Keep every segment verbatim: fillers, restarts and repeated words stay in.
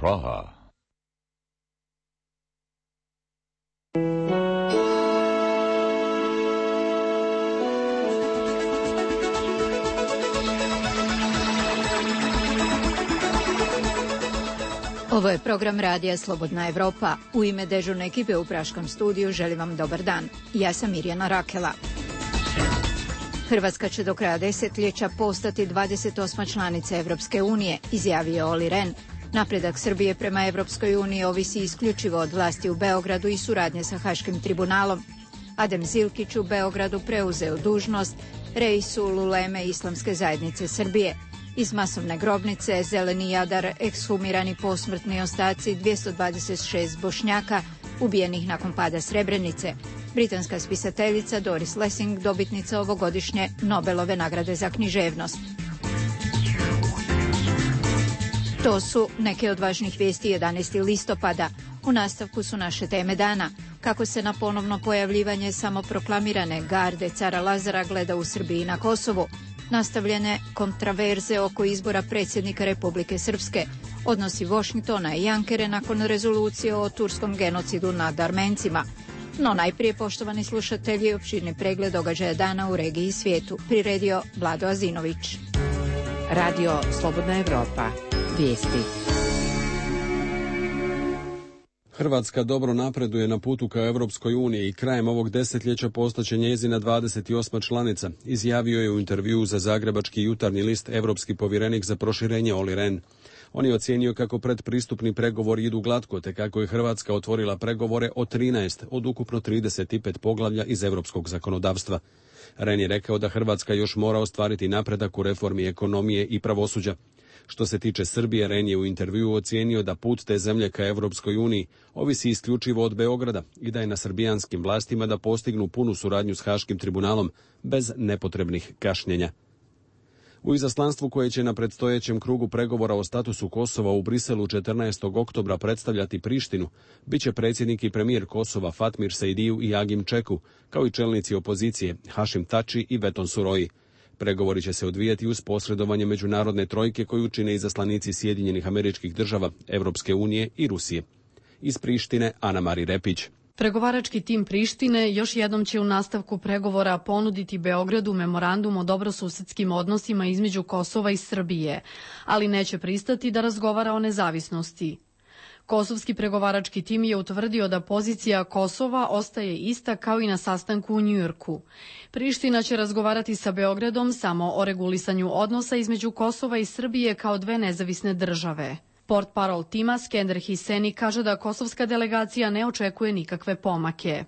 Praha. Ovo je program radija Slobodna Evropa. U ime dežurne ekipe u Praškom studiju želim vam dobar dan. Ja sam Mirjana Rakela. Hrvatska će do kraja desetljeća postati dvadeset osma članica Evropske unije, izjavio Olli Rehn. Napredak Srbije prema Evropskoj uniji ovisi isključivo od vlasti u Beogradu i suradnje sa Haškim tribunalom. Adem Zilkić u Beogradu preuzeo dužnost Reisul Uleme Islamske zajednice Srbije. Iz masovne grobnice Zeleni Jadar ekshumirani posmrtni ostaci dvjesto dvadeset šest Bošnjaka ubijenih nakon pada Srebrenice. Britanska spisateljica Doris Lessing dobitnica ovogodišnje Nobelove nagrade za književnost. To su neke od važnih vijesti jedanaestog listopada. U nastavku su naše teme dana. Kako se na ponovno pojavljivanje samoproklamirane garde cara Lazara gleda u Srbiji i na Kosovu. Nastavljene kontraverze oko izbora predsjednika Republike Srpske, odnosi Washingtona i Ankere nakon rezolucije o turskom genocidu nad Armencima. No najprije, poštovani slušatelji, opširni pregled događaja dana u regiji i svijetu. Priredio Vlado Azinović. Radio Slobodna Evropa. Vijesti. Hrvatska dobro napreduje na putu ka Europskoj uniji i krajem ovog desetljeća postaće njezina dvadeset osma članica, izjavio je u intervjuu za zagrebački Jutarnji list europski povjerenik za proširenje Olli Rehn. On je ocijenio kako predpristupni pregovori idu glatko, te kako je Hrvatska otvorila pregovore o trinaest od ukupno trideset pet poglavlja iz europskog zakonodavstva. Rehn je rekao da Hrvatska još mora ostvariti napredak u reformi ekonomije i pravosuđa. Što se tiče Srbije, Rehn je u intervjuu ocijenio da put te zemlje ka Europskoj uniji ovisi isključivo od Beograda i da je na srbijanskim vlastima da postignu punu suradnju s Haškim tribunalom bez nepotrebnih kašnjenja. U izaslanstvu koje će na predstojećem krugu pregovora o statusu Kosova u Briselu četrnaestog oktobra predstavljati Prištinu, bit će predsjednik i premijer Kosova Fatmir Sejdiju i Agim Čeku, kao i čelnici opozicije Hašim Tači i Beton Suroji. Pregovori će se odvijati uz posredovanje međunarodne trojke koju čine izaslanici Sjedinjenih Američkih Država, Evropske unije i Rusije. Iz Prištine, Ana Mari Repić. Pregovarački tim Prištine još jednom će u nastavku pregovora ponuditi Beogradu memorandum o dobrosusedskim odnosima između Kosova i Srbije, ali neće pristati da razgovara o nezavisnosti. Kosovski pregovarački tim je utvrdio da pozicija Kosova ostaje ista kao i na sastanku u Njujorku. Priština će razgovarati sa Beogradom samo o regulisanju odnosa između Kosova i Srbije kao dve nezavisne države. Portparol tima Skender Hiseni kaže da kosovska delegacija ne očekuje nikakve pomake.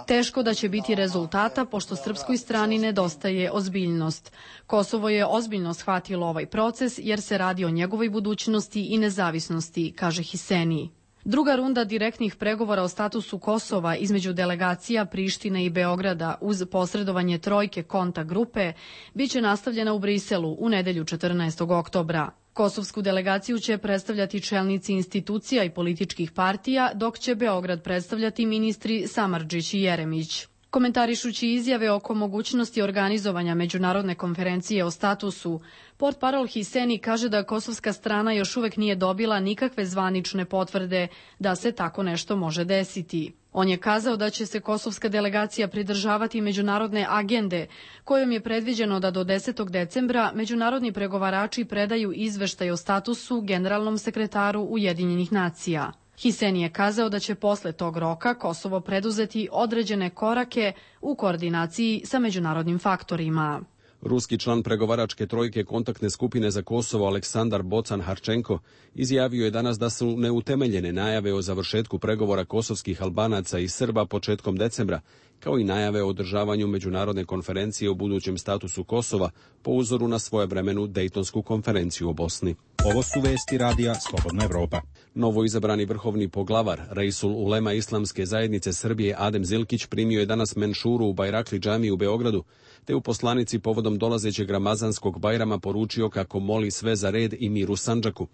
Teško da će biti rezultata pošto srpskoj strani nedostaje ozbiljnost. Kosovo je ozbiljno shvatilo ovaj proces jer se radi o njegovoj budućnosti i nezavisnosti, kaže Hiseni. Druga runda direktnih pregovora o statusu Kosova između delegacija Prištine i Beograda uz posredovanje trojke konta grupe biće nastavljena u Briselu u nedelju četrnaestog oktobra. Kosovsku delegaciju će predstavljati čelnici institucija i političkih partija, dok će Beograd predstavljati ministri Samardžić i Jeremić. Komentarišući izjave oko mogućnosti organizovanja međunarodne konferencije o statusu, portparol Hiseni kaže da kosovska strana još uvek nije dobila nikakve zvanične potvrde da se tako nešto može desiti. On je kazao da će se kosovska delegacija pridržavati međunarodne agende, kojom je predviđeno da do desetog decembra međunarodni pregovarači predaju izveštaj o statusu generalnom sekretaru Ujedinjenih nacija. Hiseni je kazao da će posle tog roka Kosovo preduzeti određene korake u koordinaciji sa međunarodnim faktorima. Ruski član pregovaračke trojke kontaktne skupine za Kosovo Aleksandar Bocan-Harčenko izjavio je danas da su neutemeljene najave o završetku pregovora kosovskih Albanaca i Srba početkom decembra, kao i najave o održavanju međunarodne konferencije o budućem statusu Kosova po uzoru na svojevremenu Dejtonsku konferenciju o Bosni. Ovo su vesti radija Slobodna Evropa. Novo izabrani vrhovni poglavar Reisul Ulema Islamske zajednice Srbije Adem Zilkić primio je danas menšuru u Bajrakli džamiji u Beogradu, te u poslanici povodom dolazećeg Ramazanskog Bajrama poručio kako moli sve za red i mir u Sandžaku.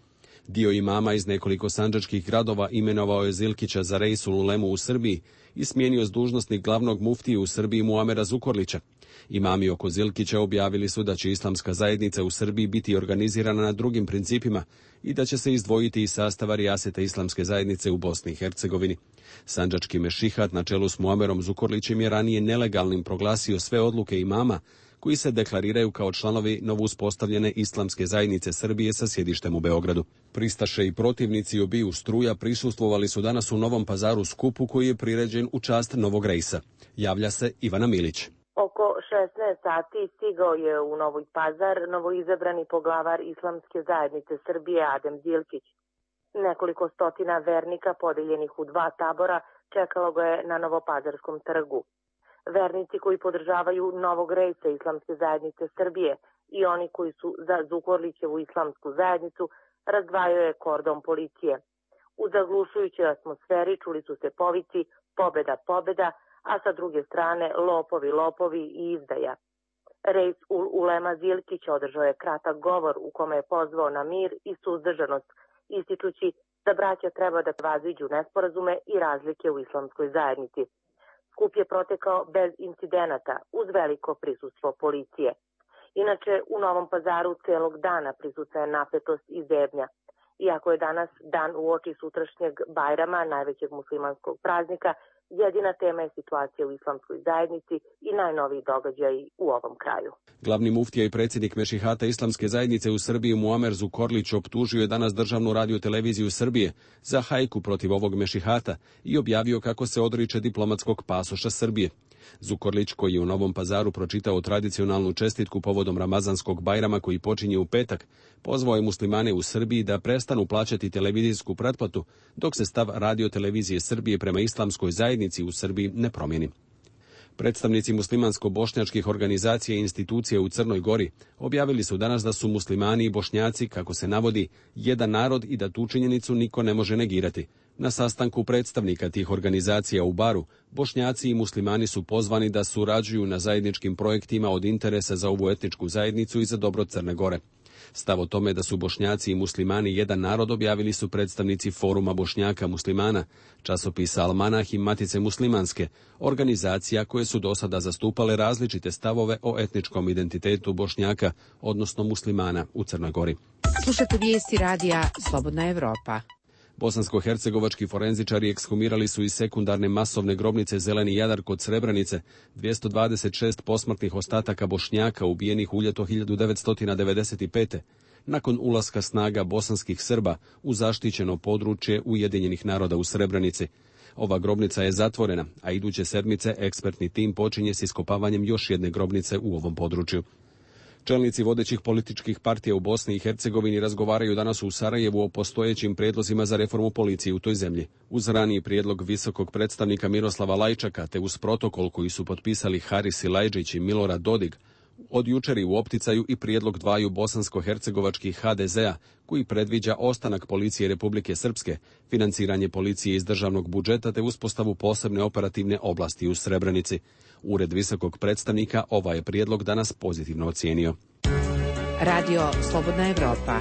Dio imama iz nekoliko sandžačkih gradova imenovao je Zilkića za Reisul Ulemu u Srbiji i smijenio s dužnosnik glavnog muftije u Srbiji Muamera Zukorlića. Imami oko Zilkića objavili su da će islamska zajednica u Srbiji biti organizirana na drugim principima i da će se izdvojiti iz sastava rijaseta islamske zajednice u Bosni i Hercegovini. Sandžački mešihat na čelu s Muamerom Zukorlićem je ranije nelegalnim proglasio sve odluke imama koji se deklariraju kao članovi novouspostavljene islamske zajednice Srbije sa sjedištem u Beogradu. Pristaše i protivnici obiju struja prisustvovali su danas u Novom Pazaru skupu koji je priređen u čast Novog Rejsa. Javlja se Ivana Milić. Oko šesnaest sati stigao je u Novi Pazar novoizabrani poglavar Islamske zajednice Srbije Adem Zilkić. Nekoliko stotina vernika podeljenih u dva tabora čekalo ga je na Novopazarskom trgu. Vernici koji podržavaju Novog Rejsa Islamske zajednice Srbije i oni koji su za Zukorlićevu islamsku zajednicu razdvajao je kordon policije. U zaglušujućoj atmosferi čuli su se povici pobeda, pobeda, a sa druge strane lopovi, lopovi i izdaja. Rejs ul Ulema Zilkić održao je kratak govor u kome je pozvao na mir i suzdržanost, ističući da braća treba da vaziđu nesporazume i razlike u islamskoj zajednici. Skup je protekao bez incidenata, uz veliko prisustvo policije. Inače, u Novom Pazaru celog dana prisutna je napetost i zebnja. Iako je danas dan uoči sutrašnjeg Bajrama, najvećeg muslimanskog praznika, jedina tema je situacija u islamskoj zajednici i najnoviji događaji u ovom kraju. Glavni muftija i predsjednik Mešihata Islamske zajednice u Srbiji Muamer Zukorlić optužio je danas Državnu radioteleviziju Srbije za hajku protiv ovog Mešihata i objavio kako se odriče diplomatskog pasoša Srbije. Zukorlić, koji je u Novom Pazaru pročitao tradicionalnu čestitku povodom Ramazanskog Bajrama koji počinje u petak, pozvao je muslimane u Srbiji da prestanu plaćati televizijsku pretplatu dok se stav radiotelevizije Srbije prema islamskoj zajednici u Srbiji ne promijeni. Predstavnici muslimansko-bošnjačkih organizacija i institucija u Crnoj Gori objavili su danas da su muslimani i bošnjaci, kako se navodi, jedan narod i da tu činjenicu niko ne može negirati. Na sastanku predstavnika tih organizacija u Baru, bošnjaci i muslimani su pozvani da surađuju na zajedničkim projektima od interesa za ovu etničku zajednicu i za dobro Crne Gore. Stav o tome da su bošnjaci i muslimani jedan narod objavili su predstavnici Foruma Bošnjaka muslimana, časopisa Almanah i Matice muslimanske, organizacija koje su do sada zastupale različite stavove o etničkom identitetu Bošnjaka, odnosno muslimana u Crnoj Gori. Slušate vijesti radija Slobodna Evropa. Bosansko-hercegovački forenzičari ekshumirali su iz sekundarne masovne grobnice Zeleni Jadar kod Srebrenice dvjesto dvadeset šest posmrtnih ostataka Bošnjaka ubijenih u ljeto hiljadu devetsto devedeset pete. nakon ulaska snaga bosanskih Srba u zaštićeno područje Ujedinjenih naroda u Srebrenici. Ova grobnica je zatvorena, a iduće sedmice ekspertni tim počinje s iskopavanjem još jedne grobnice u ovom području. Čelnici vodećih političkih partija u Bosni i Hercegovini razgovaraju danas u Sarajevu o postojećim prijedlozima za reformu policije u toj zemlji. Uz raniji prijedlog visokog predstavnika Miroslava Lajčaka te uz protokol koji su potpisali Haris Silajdžić i Milorad Dodik, od jučer u opticaju i prijedlog dvaju bosansko-hercegovačkih ha de zea koji predviđa ostanak policije Republike Srpske, financiranje policije iz državnog budžeta te uspostavu posebne operativne oblasti u Srebrenici. Ured visokog predstavnika ovaj je prijedlog danas pozitivno ocijenio. Radio Slobodna Evropa.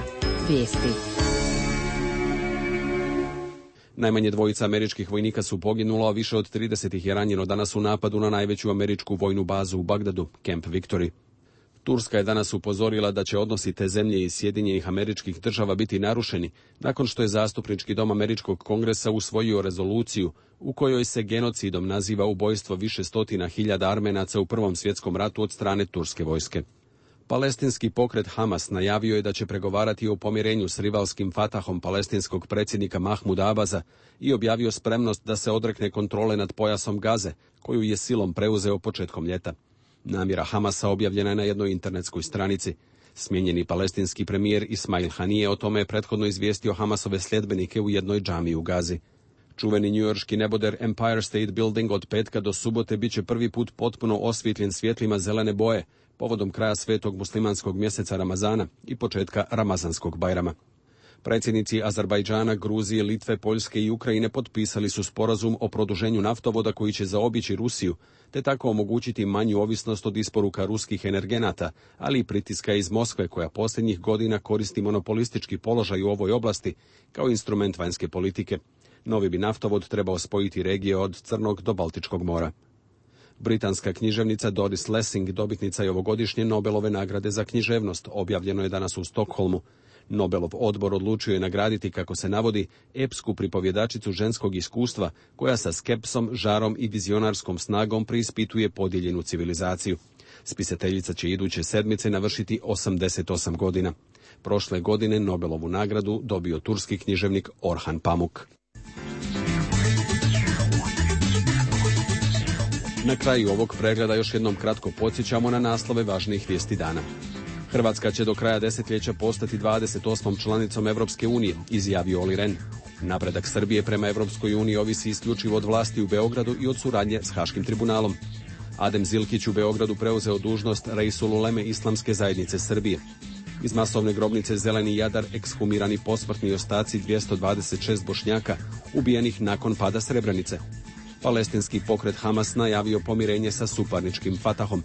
Vijesti. Najmanje dvojica američkih vojnika su poginulo, a više od trideset ih je ranjeno danas u napadu na najveću američku vojnu bazu u Bagdadu, Camp Victory. Turska je danas upozorila da će odnosi te zemlje iz Sjedinjenih Američkih Država biti narušeni, nakon što je zastupnički dom Američkog kongresa usvojio rezoluciju u kojoj se genocidom naziva ubojstvo više stotina hiljada Armenaca u Prvom svjetskom ratu od strane turske vojske. Palestinski pokret Hamas najavio je da će pregovarati o pomirenju s rivalskim Fatahom palestinskog predsjednika Mahmuda Abaza i objavio spremnost da se odrekne kontrole nad pojasom Gaze, koju je silom preuzeo početkom ljeta. Namjera Hamasa objavljena je na jednoj internetskoj stranici. Smijenjeni palestinski premijer Ismail Hanije o tome je prethodno izvijestio Hamasove sljedbenike u jednoj džamiji u Gazi. Čuveni njujorški neboder Empire State Building od petka do subote bit će prvi put potpuno osvijetljen svjetlima zelene boje, povodom kraja svetog muslimanskog mjeseca Ramazana i početka Ramazanskog Bajrama. Predsjednici Azerbajdžana, Gruzije, Litve, Poljske i Ukrajine potpisali su sporazum o produženju naftovoda koji će zaobići Rusiju, te tako omogućiti manju ovisnost od isporuka ruskih energenata, ali i pritiska iz Moskve koja posljednjih godina koristi monopolistički položaj u ovoj oblasti kao instrument vanjske politike. Novi bi naftovod trebao spojiti regije od Crnog do Baltičkog mora. Britanska književnica Doris Lessing dobitnica je ovogodišnje Nobelove nagrade za književnost, objavljeno je danas u Stokholmu. Nobelov odbor odlučio je nagraditi, kako se navodi, epsku pripovjedačicu ženskog iskustva koja sa skepsom, žarom i vizionarskom snagom preispituje podijeljenu civilizaciju. Spisateljica će iduće sedmice navršiti osamdeset osam godina. Prošle godine Nobelovu nagradu dobio turski književnik Orhan Pamuk. Na kraju ovog pregleda još jednom kratko podsjećamo na naslove važnijih vijesti dana. Hrvatska će do kraja desetljeća postati dvadeset osmom članicom Europske unije, izjavio Olli Rehn. Napredak Srbije prema Europskoj uniji ovisi isključivo od vlasti u Beogradu i od suradnje s Haškim tribunalom. Adem Zilkić u Beogradu preuzeo dužnost Reisul Uleme Islamske zajednice Srbije. Iz masovne grobnice Zeleni Jadar ekshumirani posmrtni ostaci dvjesto dvadeset šest Bošnjaka ubijenih nakon pada Srebrenice. Palestinski pokret Hamas najavio pomirenje sa suparničkim Fatahom.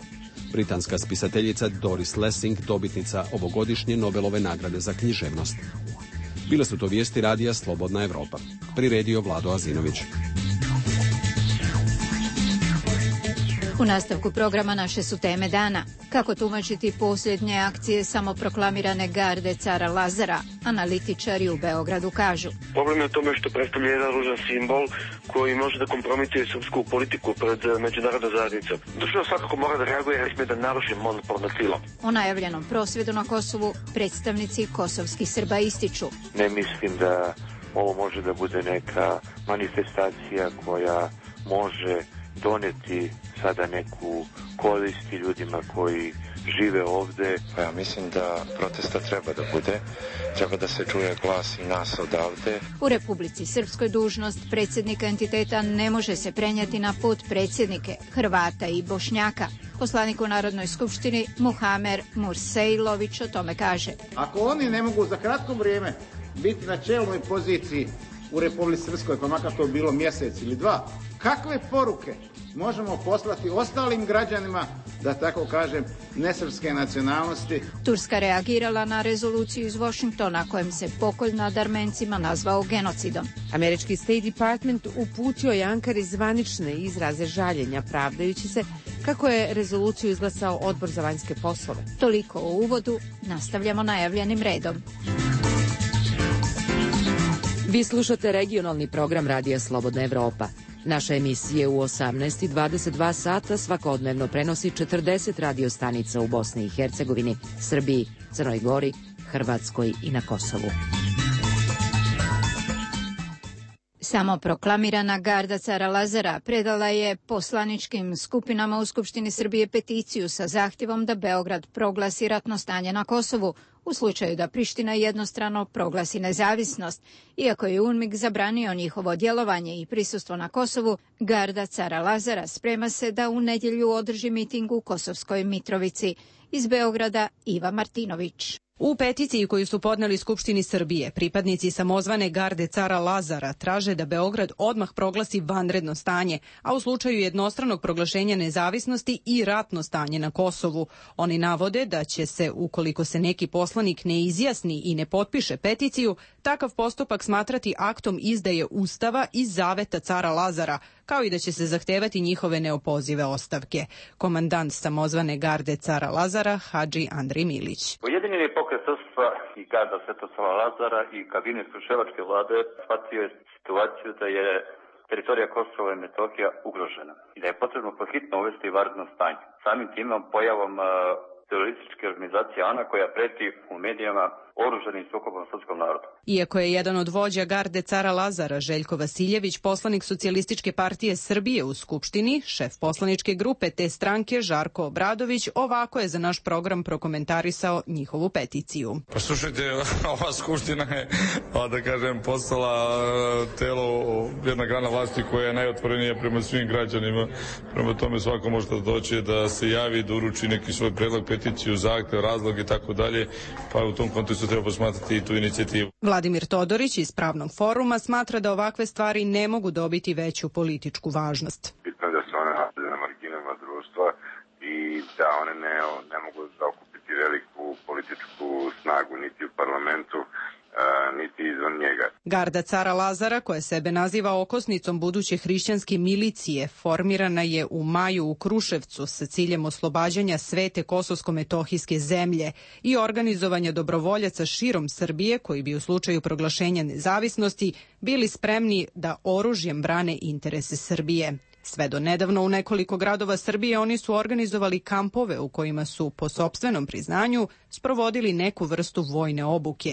Britanska spisateljica Doris Lessing dobitnica ovogodišnje Nobelove nagrade za književnost. Bile su to vijesti radija Slobodna Evropa. Priredio Vlado Azinović. U nastavku programa naše su teme dana. Kako tumačiti posljednje akcije samoproklamirane garde cara Lazara, analitičari u Beogradu kažu. Problem je u tome što predstavlja jedan ružan simbol koji može da kompromituje srpsku politiku pred međunarodnom zajednicom. Država svakako mora da reaguje jer sme da naruši monopol nad silom. O najavljenom prosvjedu na Kosovu predstavnici kosovskih Srba ističu. Ne mislim da ovo može da bude neka manifestacija koja može doneti sada neku koristi ljudima koji žive ovde. Pa ja mislim da protesta treba da bude, treba da se čuje glas i nas odavde. U Republici Srpskoj dužnost predsjednika entiteta ne može se prenijeti na potpredsjednike Hrvata i Bošnjaka. Poslanik u Narodnoj skupštini Muhamer Mursejlović o tome kaže. Ako oni ne mogu za kratko vrijeme biti na čelnoj poziciji u Republici Srpskoj, pa makar to bilo mjesec ili dva, kakve poruke možemo poslati ostalim građanima, da tako kažem, nesrpske nacionalnosti? Turska reagirala na rezoluciju iz Washingtona kojem se pokolj nad Armencima nazvao genocidom. Američki State Department uputio je Ankari zvanične izraze žaljenja, pravdajući se kako je rezoluciju izglasao Odbor za vanjske poslove. Toliko o uvodu, nastavljamo najavljenim redom. Vi slušate regionalni program Radija Slobodna Evropa. Naša emisija u osamnaest i dvadeset dva sata svakodnevno prenosi četrdeset radio stanica u Bosni i Hercegovini, Srbiji, Crnoj Gori, Hrvatskoj i na Kosovu. Samoproklamirana garda cara Lazara predala je poslaničkim skupinama u Skupštini Srbije peticiju sa zahtjevom da Beograd proglasi ratno stanje na Kosovu u slučaju da Priština jednostrano proglasi nezavisnost. Iako je UNMIK zabranio njihovo djelovanje i prisustvo na Kosovu, garda cara Lazara sprema se da u nedjelju održi miting u Kosovskoj Mitrovici. Iz Beograda Iva Martinović. U peticiji koju su podneli Skupštini Srbije, pripadnici samozvane garde cara Lazara traže da Beograd odmah proglasi vanredno stanje, a u slučaju jednostranog proglašenja nezavisnosti i ratno stanje na Kosovu. Oni navode da će se, ukoliko se neki poslanik ne izjasni i ne potpiše peticiju, takav postupak smatrati aktom izdaje Ustava i zaveta cara Lazara, kao i da će se zahtevati njihove neopozive ostavke. Komandant samozvane garde cara Lazara, Hadži Andrej Milić. Ujedinjeni pokret srpstva i garda Svetosava Lazara i kabinet Kruševačke vlade shvatio je situaciju da je teritorija Kosova i Metohija ugrožena i da je potrebno pohitno uvesti vanredno stanje. Samim tim pojavom uh, terorističke organizacije ANA koja preti u medijama oružanim sukobom srpskom narodu. Iako je jedan od vođa garde cara Lazara, Željko Vasiljević, poslanik Socijalističke partije Srbije u Skupštini, šef poslaničke grupe te stranke Žarko Obradović ovako je za naš program prokomentarisao njihovu peticiju. Pa slušajte, ova Skupština je, da kažem, postala telo, jedna grana vlasti koja je najotvorenija prema svim građanima. Prema tome svako može da doći da se javi, da uruči neki svoj predlog, peticiju, zahtev, razlog i tako dalje, pa u tom kontekstu treba posmatrati i tu inicijativu. Vladimir Todorić iz Pravnog foruma smatra da ovakve stvari ne mogu dobiti veću političku važnost. Bitno je da se one nalaze na marginama društva i da one ne, ne mogu zaokupiti veliku političku snagu niti u parlamentu, niti izvan njega. Garda cara Lazara, koja sebe naziva okosnicom buduće hrišćanske milicije, formirana je u maju u Kruševcu sa ciljem oslobađanja svete kosovsko-metohijske zemlje i organizovanja dobrovoljaca širom Srbije koji bi u slučaju proglašenja nezavisnosti bili spremni da oružjem brane interese Srbije. Sve do nedavno u nekoliko gradova Srbije oni su organizovali kampove u kojima su, po sopstvenom priznanju, sprovodili neku vrstu vojne obuke.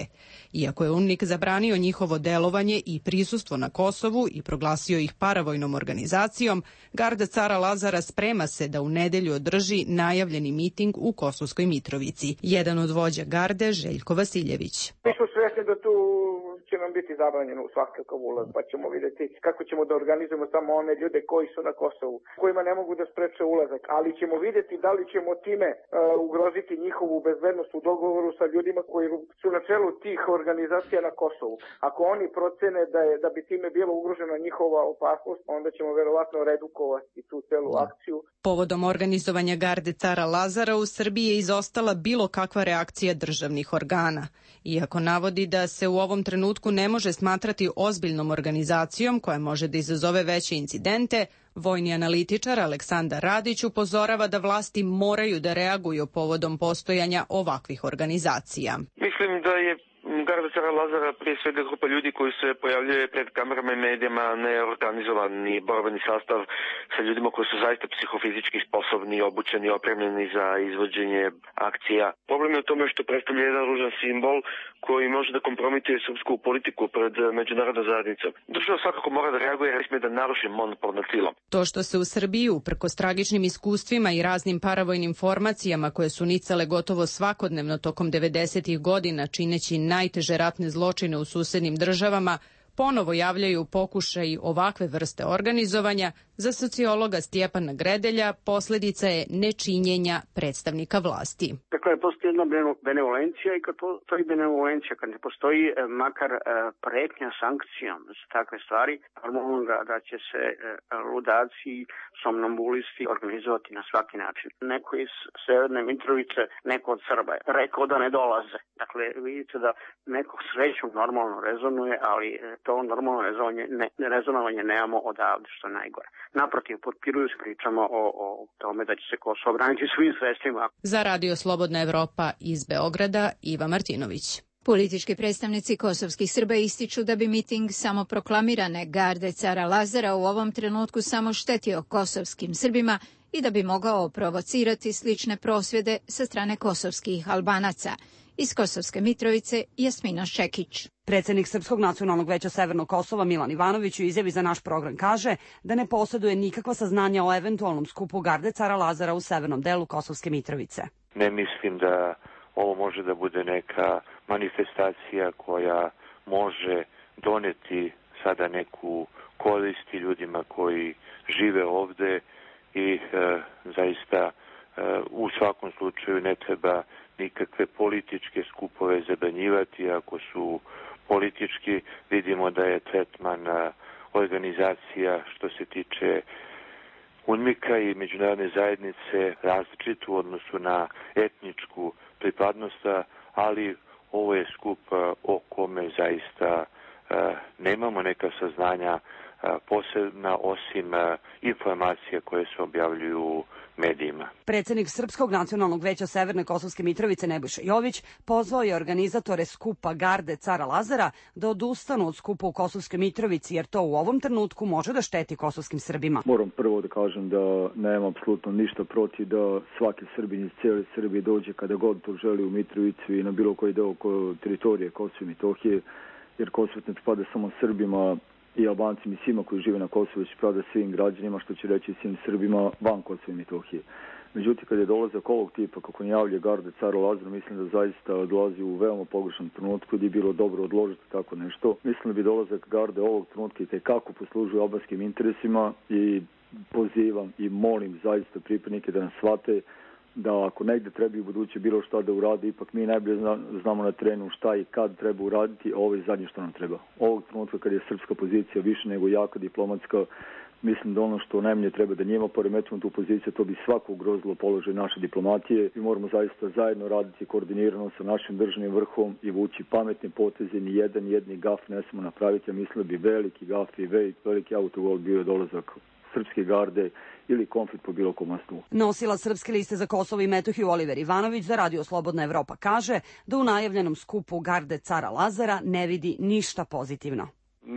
Iako je UNMIK zabranio njihovo delovanje i prisustvo na Kosovu i proglasio ih paravojnom organizacijom, Garda cara Lazara sprema se da u nedelju održi najavljeni miting u Kosovskoj Mitrovici. Jedan od vođa garde, Željko Vasiljević. Mi smo svjesni da tu će nam biti zabranjeno u svakakav ulaz, pa ćemo vidjeti kako ćemo da organizujemo samo one ljude koji su na Kosovu, kojima ne mogu da spreče ulazak, ali ćemo vidjeti da li ćemo time uh, ugroziti njihovu bezbednost u dogovoru sa ljudima koji su na čelu tih organizacija na Kosovu. Ako oni procene da je da bi time bilo ugrožena njihova opasnost, onda ćemo verovatno redukovati tu celu akciju. Povodom organizovanja garde cara Lazara u Srbiji je izostala bilo kakva reakcija državnih organa. Iako navodi da se u ovom trenutku ne može smatrati ozbiljnom organizacijom koja može da izazove veće incidente, vojni analitičar Aleksandar Radić upozorava da vlasti moraju da reaguju povodom postojanja ovakvih organizacija. Mislim da je Garda cara Lazara prije svega grupa ljudi koji se pojavljuje pred kamerama i medijama, neorganizovani borbeni sastav sa ljudima koji su zaista psihofizički sposobni, obučeni, opremljeni za izvođenje akcija. Problem je u tome što predstavlja jedan ružan simbol koji može da kompromituje srpsku politiku pred međunarodnom zajednicom. Država svakako mora da reaguje jer sme da naruši monopol nad silom. To što se u Srbiji, uprkos tragičnim iskustvima i raznim paravojnim formacijama koje su nicale gotovo svakodnevno tokom devedesetih godina čineći najteže ratne zločine u susednim državama, ponovo javljaju pokušaj ovakve vrste organizovanja, za sociologa Stjepana Gredelja posljedica je nečinjenja predstavnika vlasti. Dakle, postoji jedna benevolencija i kad postoji benevolencija, kad ne postoji makar pretnja sankcijom za takve stvari, normalno da, da će se ludaci, somnambulisti organizovati na svaki način. Neko iz Severne Mitrovice, neko od Srba je rekao da ne dolaze. Dakle, vidite da neko srećom normalno rezonuje, ali to normalno rezonovanje, ne, rezonovanje nemamo odavde, što je najgore. Naprotiv, potpiruju s pričama o, o tome da će se Kosovo braniti svim sredstvima. Za Radio Slobodna Evropa iz Beograda, Iva Martinović. Politički predstavnici kosovskih Srba ističu da bi miting samoproklamirane garde cara Lazara u ovom trenutku samo štetio kosovskim Srbima i da bi mogao provocirati slične prosvjede sa strane kosovskih Albanaca. Iz Kosovske Mitrovice, Jasmina Šekić. Predsednik Srpskog nacionalnog veća Severnog Kosova Milan Ivanović u izjavi za naš program kaže da ne posjeduje nikakva saznanja o eventualnom skupu garde cara Lazara u severnom delu Kosovske Mitrovice. Ne mislim da ovo može da bude neka manifestacija koja može doneti sada neku korist ljudima koji žive ovde i e, zaista e, u svakom slučaju ne treba nikakve političke skupove zabranjivati. Ako su politički, vidimo da je tretman organizacija što se tiče UNMIK-a i međunarodne zajednice različit u odnosu na etničku pripadnost, ali ovo je skup o kome zaista nemamo neka saznanja posebna osim informacija koje se objavljuju u medijima. Predsednik Srpskog nacionalnog veća Severne Kosovske Mitrovice Nebojša Jović pozvao je organizatore skupa garde cara Lazara da odustanu od skupa u Kosovskoj Mitrovici jer to u ovom trenutku može da šteti kosovskim Srbima. Moram prvo da kažem da nemam apsolutno ništa protiv da svaki Srbin iz cijele Srbije dođe kada god to želi u Mitrovicu i na bilo koji deo teritorije Kosova i Metohije, jer Kosovo ne pripada samo Srbima i Albancima i svima koji žive na Kosovu, će pripada svim građanima, što će reći svim Srbima van Kosova i Metohije. Međutim, kada je dolazak ovog tipa, kako najavlja garde cara Lazara, mislim da zaista dolazi u veoma pogrešnom trenutku i da je bilo dobro odložiti tako nešto. Mislim da bi dolazak garde ovog trenutka i tekako poslužuje albanskim interesima i pozivam i molim zaista pripadnike da nas shvate da ako negde treba i buduće bilo šta da uradi, ipak mi najbolje znamo na terenu šta i kad treba uraditi, a ovo je zadnje što nam treba. Ovog trenutka kad je srpska pozicija više nego jaka diplomatska, mislim da ono što najmanje treba da njima poremetimo tu poziciju, to bi svako ugrozilo položaj naše diplomatije i moramo zaista zajedno raditi koordinirano sa našim državnim vrhom i vući pametne poteze, ni jedan jedni gaf ne smemo napraviti, a mislim da bi veliki gaf i veliki autogol bio dolazak srpske garde ili konflikt po bilo kom osnovu. Nosila Srpske liste za Kosovo i Metohiju Oliver Ivanović za Radio Slobodna Evropa kaže da u najavljenom skupu garde cara Lazara ne vidi ništa pozitivno.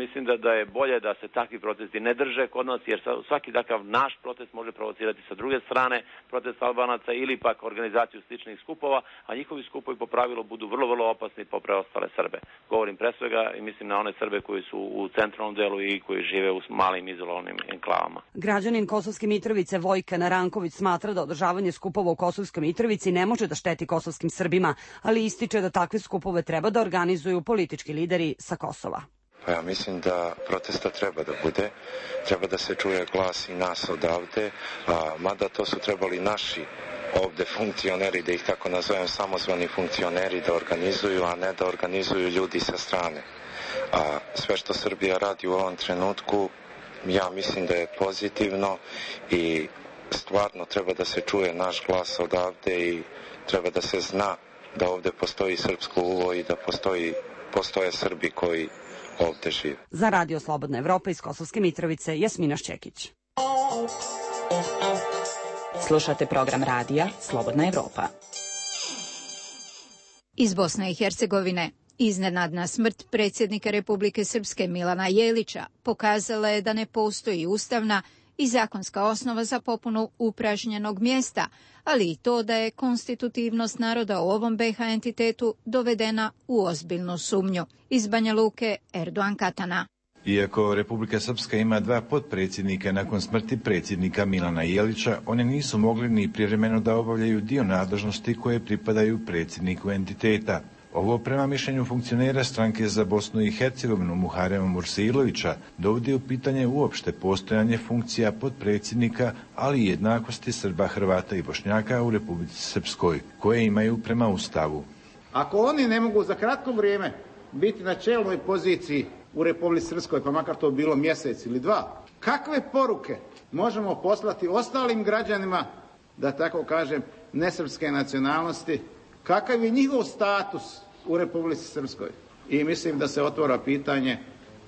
Mislim da, da je bolje da se takvi protesti ne drže kod nas, jer svaki takav naš protest može provocirati sa druge strane protest Albanaca ili pak organizaciju sličnih skupova, a njihovi skupovi po pravilu budu vrlo, vrlo opasni po preostale Srbe. Govorim pre svega i mislim na one Srbe koji su u centralnom delu i koji žive u malim izolovanim enklavama. Građanin Kosovske Mitrovice Vojka Naranković smatra da održavanje skupova u Kosovskoj Mitrovici ne može da šteti kosovskim Srbima, ali ističe da takve skupove treba da organizuju politički lideri sa Kosova. Pa ja mislim da protesta treba da bude, treba da se čuje glas i nas odavde, a, mada to su trebali naši ovde funkcioneri, da ih tako nazovem, samozvani funkcioneri da organizuju, a ne da organizuju ljudi sa strane. A sve što Srbija radi u ovom trenutku, ja mislim da je pozitivno i stvarno treba da se čuje naš glas odavde i treba da se zna da ovde postoji srpsko uvo i da postoji, postoje Srbi koji ovde žive. Za Radio Slobodna Evropa iz Kosovske Mitrovice, Jasmina Šćekić. Slušate program radija Slobodna Evropa. Iz Bosne i Hercegovine iznenadna smrt predsjednika Republike Srpske Milana Jelića pokazala je da ne postoji ustavna i zakonska osnova za popunu upražnjenog mjesta, ali i to da je konstitutivnost naroda u ovom be ha entitetu dovedena u ozbiljnu sumnju. Iz Banja Luke, Erdogan Katana. Iako Republika Srpska ima dva potpredsjednika nakon smrti predsjednika Milana Jelića, one nisu mogli ni privremeno da obavljaju dio nadležnosti koje pripadaju predsjedniku entiteta. Ovo prema mišljenju funkcionera stranke za Bosnu i Hercegovinu Muharema Mursilovića dovodi u pitanje uopšte postojanje funkcija potpredsjednika, ali i jednakosti Srba, Hrvata i Bošnjaka u Republici Srpskoj, koje imaju prema Ustavu. Ako oni ne mogu za kratko vrijeme biti na čelnoj poziciji u Republici Srpskoj, pa makar to bilo mjesec ili dva, kakve poruke možemo poslati ostalim građanima, da tako kažem, nesrpske nacionalnosti, kakav je njihov status u Republici Srpskoj? I mislim da se otvara pitanje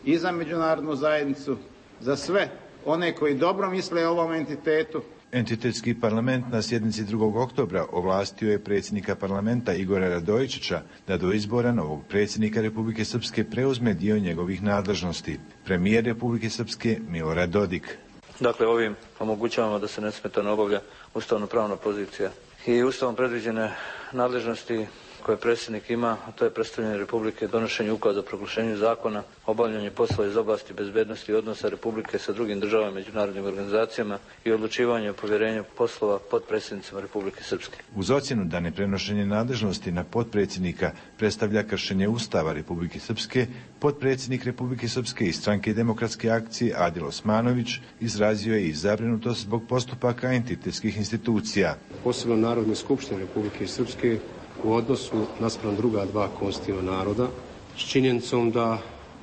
i za međunarodnu zajednicu, za sve one koji dobro misle o ovom entitetu. Entitetski parlament na sjednici drugog oktobra ovlastio je predsjednika parlamenta Igora Radojičića da do izbora novog predsjednika Republike Srpske preuzme dio njegovih nadležnosti. Premijer Republike Srpske Milorad Dodik. Dakle, ovim omogućavamo da se nesmetano obavlja ustavno-pravna pozicija i ustavom predviđene nadležnosti koje predsjednik ima, a to je predstavljanje Republike, donošenje ukaza o proglašenju zakona, obavljanje poslova iz oblasti bezbednosti i odnosa Republike sa drugim državama i međunarodnim organizacijama i odlučivanje o povjerenju poslova potpredsjednicima Republike Srpske. Uz ocjenu da neprenošenje nadležnosti na potpredsjednika predstavlja kršenje Ustava Republike Srpske, potpredsjednik Republike Srpske i stranke Demokratske akcije Adil Osmanović izrazio je i zabrinutost zbog postupaka entitetskih institucija. Posebno Narodne skupštine Republike Srpske u odnosu naspram druga dva konstitutivna naroda, s činjenicom da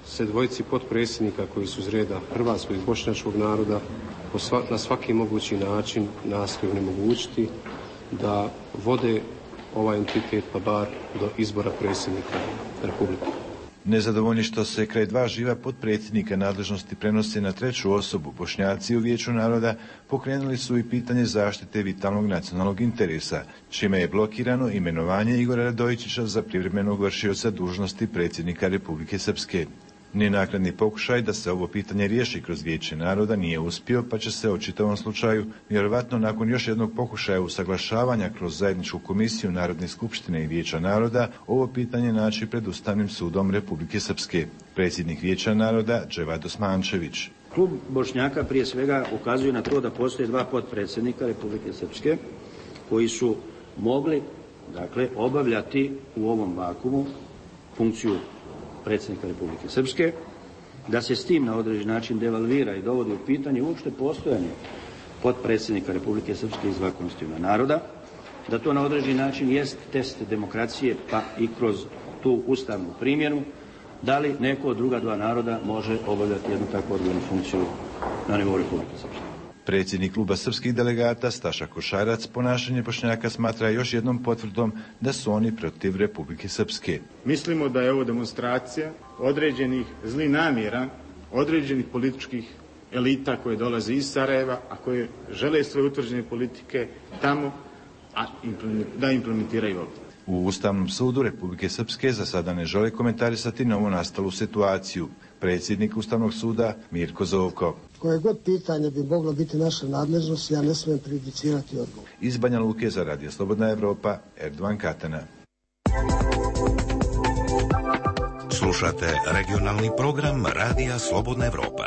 se dvojici potpredsjednika koji su iz reda hrvatskog i bošnjačkog naroda na svaki mogući način nastoje onemogućiti da vode ovaj entitet pa bar do izbora predsjednika Republike. Nezadovoljni što se kraj dva živa potpredsjednika nadležnosti prenose na treću osobu, Bošnjaci u Vijeću naroda pokrenuli su i pitanje zaštite vitalnog nacionalnog interesa, čime je blokirano imenovanje Igora Radojičića za privremenog vršioca dužnosti predsjednika Republike Srpske. Ni naknadni pokušaj da se ovo pitanje riješi kroz Vijeće naroda nije uspio, pa će se o čitavom slučaju, vjerovatno nakon još jednog pokušaja usaglašavanja kroz zajedničku komisiju Narodne skupštine i Vijeća naroda, ovo pitanje naći pred Ustavnim sudom Republike Srpske. Predsjednik Vijeća naroda Dževad Osmančević. Klub Bošnjaka prije svega ukazuje na to da postoje dva potpredsjednika Republike Srpske koji su mogli, dakle, obavljati u ovom vakumu funkciju predsjednika Republike Srpske, da se s tim na određen način devalvira i dovodi u pitanje uopšte postojanje potpredsjednika Republike Srpske iz dva konstitutivna naroda da to na određeni način jest test demokracije, pa i kroz tu ustavnu primjenu, da li neko od druga dva naroda može obavljati jednu takvu odgovornu funkciju na nivou Republike Srpske. Predsjednik kluba srpskih delegata Staša Košarac ponašanje Bošnjaka smatra još jednom potvrdom da su oni protiv Republike Srpske. Mislimo da je ovo demonstracija određenih zlih namjera, određenih političkih elita koje dolaze iz Sarajeva, a koje žele svoje utvrđene politike tamo, a da implementiraju ovdje. U Ustavnom sudu Republike Srpske za sada ne žele komentarisati novo nastalu situaciju. Predsjednik Ustavnog suda Mirko Zovko. Koje god pitanje bi moglo biti naša nadležnost, ja ne smijem prejudicirati odgovor. Iz Banja Luke za Radio Slobodna Evropa, Erdovan Katana. Slušate regionalni program Radija Slobodna Evropa.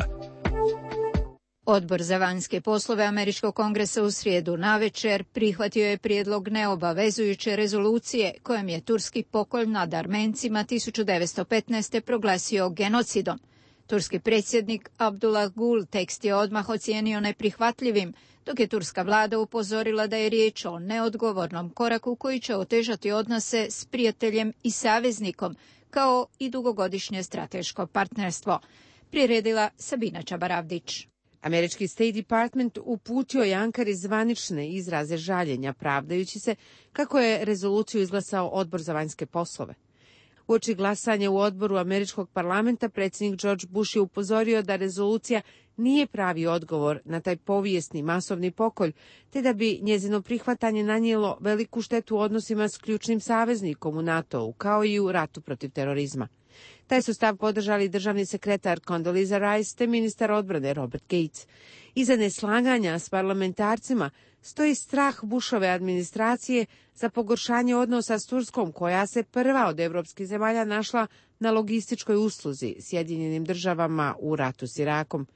Odbor za vanjske poslove Američkog kongresa u srijedu navečer prihvatio je prijedlog neobavezujuće rezolucije kojom je turski pokolj nad Armencima tisuću devetsto petnaeste. proglasio genocidom. Turski predsjednik Abdullah Gul tekst je odmah ocijenio neprihvatljivim, dok je turska vlada upozorila da je riječ o neodgovornom koraku koji će otežati odnose s prijateljem i saveznikom, kao i dugogodišnje strateško partnerstvo. Priredila Sabina Čabaravdić. Američki State Department uputio je Ankari zvanične izraze žaljenja, pravdajući se kako je rezoluciju izglasao Odbor za vanjske poslove. Uoči glasanja u odboru američkog parlamenta, predsjednik George Bush je upozorio da rezolucija nije pravi odgovor na taj povijesni masovni pokolj, te da bi njezino prihvatanje nanijelo veliku štetu u odnosima s ključnim saveznikom u NATO-u, kao i u ratu protiv terorizma. Taj su stav podržali državni sekretar Condoleezza Rice te ministar odbrane Robert Gates. Iza neslaganja s parlamentarcima stoji strah Bushove administracije za pogoršanje odnosa s Turskom, koja se prva od evropskih zemalja našla na logističkoj usluzi Sjedinjenim državama u ratu s Irakom.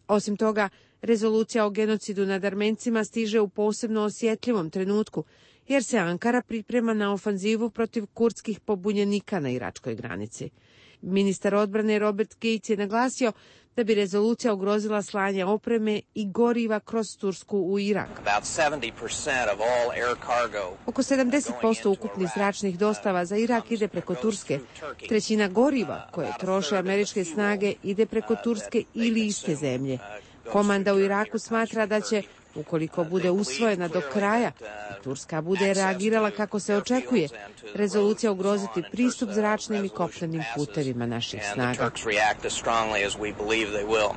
Osim toga, rezolucija o genocidu nad Armencima stiže u posebno osjetljivom trenutku, jer se Ankara priprema na ofanzivu protiv kurdskih pobunjenika na iračkoj granici. Ministar odbrane Robert Gates je naglasio da bi rezolucija ugrozila slanje opreme i goriva kroz Tursku u Irak. Oko sedamdeset posto ukupnih zračnih dostava za Irak ide preko Turske. Trećina goriva koje troše američke snage ide preko Turske ili iste zemlje. Komanda u Iraku smatra da će, ukoliko bude usvojena do kraja i Turska bude reagirala kako se očekuje, rezolucija ugroziti pristup zračnim i kopnenim putevima naših snaga.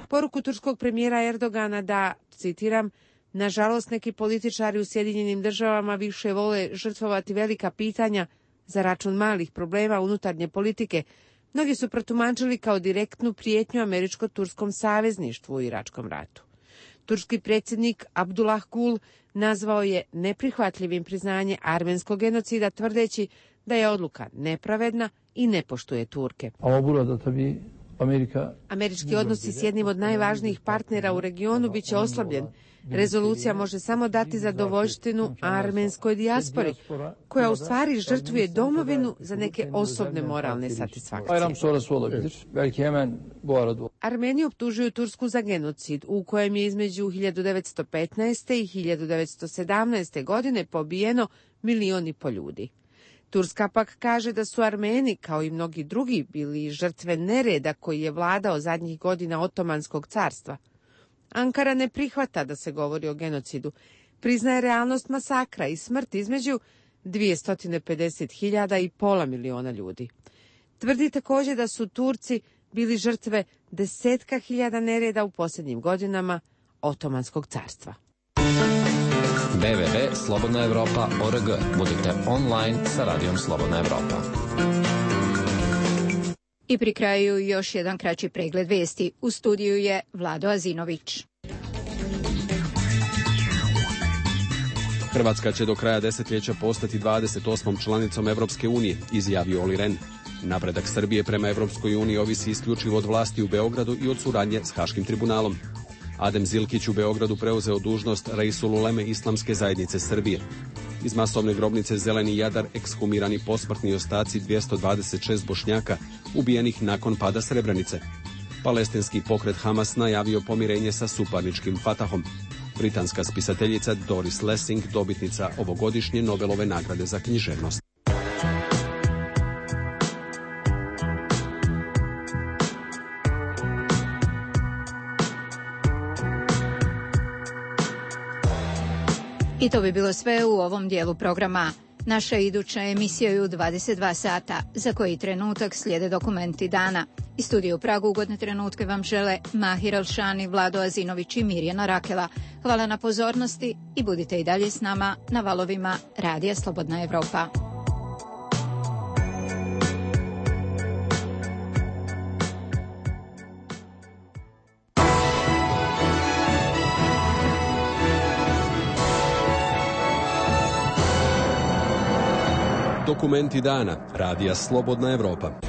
Poruku turskog premijera Erdogana da, citiram, nažalost neki političari u Sjedinjenim državama više vole žrtvovati velika pitanja za račun malih problema unutarnje politike, mnogi su protumačili kao direktnu prijetnju američko-turskom savezništvu u iračkom ratu. Turski predsjednik Abdullah Gul nazvao je neprihvatljivim priznanje armenskog genocida, tvrdeći da je odluka nepravedna i ne poštuje Turke. Američki odnosi s jednim od najvažnijih partnera u regionu bit će oslabljen. Rezolucija može samo dati zadovoljštinu armenskoj dijaspori, koja u stvari žrtvuje domovinu za neke osobne moralne satisfakcije. Armeni optužuju Tursku za genocid, u kojem je između hiljadu devetsto petnaeste. i hiljadu devetsto sedamnaeste. godine pobijeno milion i po ljudi. Turska pak kaže da su Armeni, kao i mnogi drugi, bili žrtve nereda koji je vladao zadnjih godina Otomanskog carstva. Ankara ne prihvata da se govori o genocidu. Priznaje realnost masakra i smrt između dvjesto pedeset hiljada i pola miliona ljudi. Tvrdi također da su Turci bili žrtve desetka hiljada nereda u posljednjim godinama Otomanskog carstva. w w w tačka slobodna evropa tačka org. Budite online sa Radijom Slobodna Evropa. I pri kraju još jedan kraći pregled vijesti. U studiju je Vlado Azinović. Hrvatska će do kraja desetljeća postati dvadeset osmom članicom Evropske unije, izjavio Olli Rehn. Napredak Srbije prema Evropskoj uniji ovisi isključivo od vlasti u Beogradu i od suradnje s Haškim tribunalom. Adem Zilkić u Beogradu preuzeo dužnost Reisul Uleme Islamske zajednice Srbije. Iz masovne grobnice Zeleni Jadar ekshumirani posmrtni ostaci dvjesto dvadeset šest Bošnjaka ubijenih nakon pada Srebrenice. Palestinski pokret Hamas najavio pomirenje sa suparničkim Fatahom. Britanska spisateljica Doris Lessing, dobitnica ovogodišnje Nobelove nagrade za književnost. I to bi bilo sve u ovom dijelu programa. Naša iduća emisija je u dvadeset dva sata, za koji trenutak slijede dokumenti dana. Iz studija u Pragu ugodne trenutke vam žele Mahir Alšani, Vlado Azinović i Mirjana Rakela. Hvala na pozornosti i budite i dalje s nama na valovima Radija Slobodna Evropa. Dokumenti dana Radija Slobodna Evropa.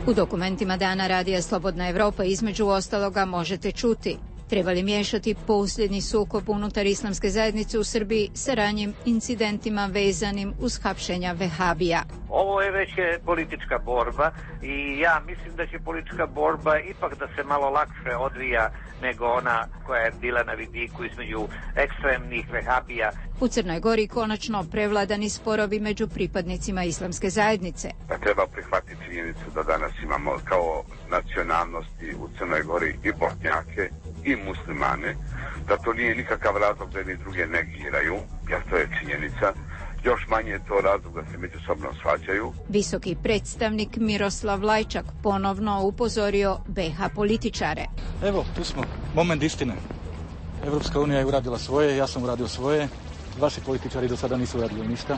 U dokumentima dana Radija Slobodna Evropa između ostaloga možete čuti: treba li miješati posljednji sukob unutar islamske zajednice u Srbiji sa ranjim incidentima vezanim uz hapšenja vehabija? Ovo je već politička borba i ja mislim da će politička borba ipak da se malo lakše odvija nego ona koja je bila na vidiku između ekstremnih vehabija. U Crnoj Gori konačno prevladani sporovi među pripadnicima islamske zajednice. Treba prihvatiti činjenicu da danas imamo kao nacionalnosti u Crnoj Gori i Bošnjake i muslimane, da to nije nikakav razlog da jedni druge negiraju, jer to je činjenica. Još manje je to razlog da se međusobno svađaju. Visoki predstavnik Miroslav Lajčak ponovno upozorio be ha političare. Evo, tu smo. Moment istine. Evropska unija je uradila svoje, ja sam uradio svoje. Vaši političari do sada nisu uradili ništa.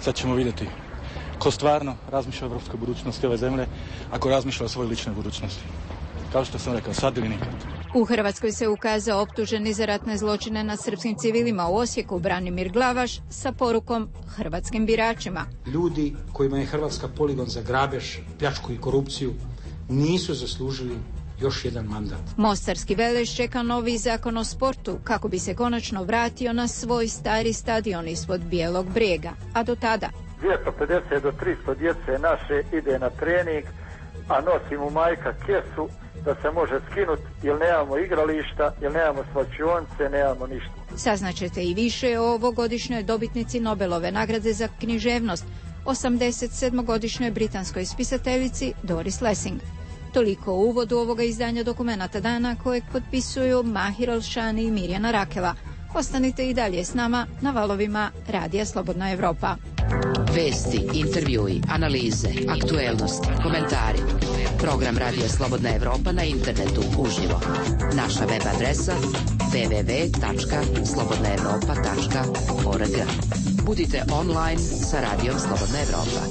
Sad ćemo vidjeti ko stvarno razmišlja o evropskoj budućnosti ove zemlje, ako razmišlja o svojoj ličnoj budućnosti. Kao što sam rekao, sad ili nikad. U Hrvatskoj se ukazao optuženi za ratne zločine nad srpskim civilima u Osijeku Branimir Glavaš sa porukom hrvatskim biračima. Ljudi kojima je Hrvatska poligon za grabež, pljačku i korupciju nisu zaslužili još jedan mandat. Mostarski Veleš čeka novi zakon o sportu kako bi se konačno vratio na svoj stari stadion ispod Bijelog Brijega. A do tada dvjesto pedeset do tristo djece naše ide na trening, a nosi mu majka kesu da se može skinuti, jer nemamo igrališta, jer nemamo svlačionice, nemamo ništa. Saznaćete i više o ovogodišnjoj dobitnici Nobelove nagrade za književnost, osamdeset sedmogodišnjoj britanskoj spisateljici Doris Lessing. Toliko u uvodu ovoga izdanja dokumenata dana kojeg potpisuju Mahir Alšani i Mirjana Rakela. Ostanite i dalje s nama na valovima Radija Slobodna Evropa. Vesti, intervjui, analize, aktuelnosti, komentari. Program Radija Slobodna Evropa na internetu uživo. Naša web adresa w w w tačka slobodna evropa tačka org. Budite online sa Radijom Slobodna Evropa.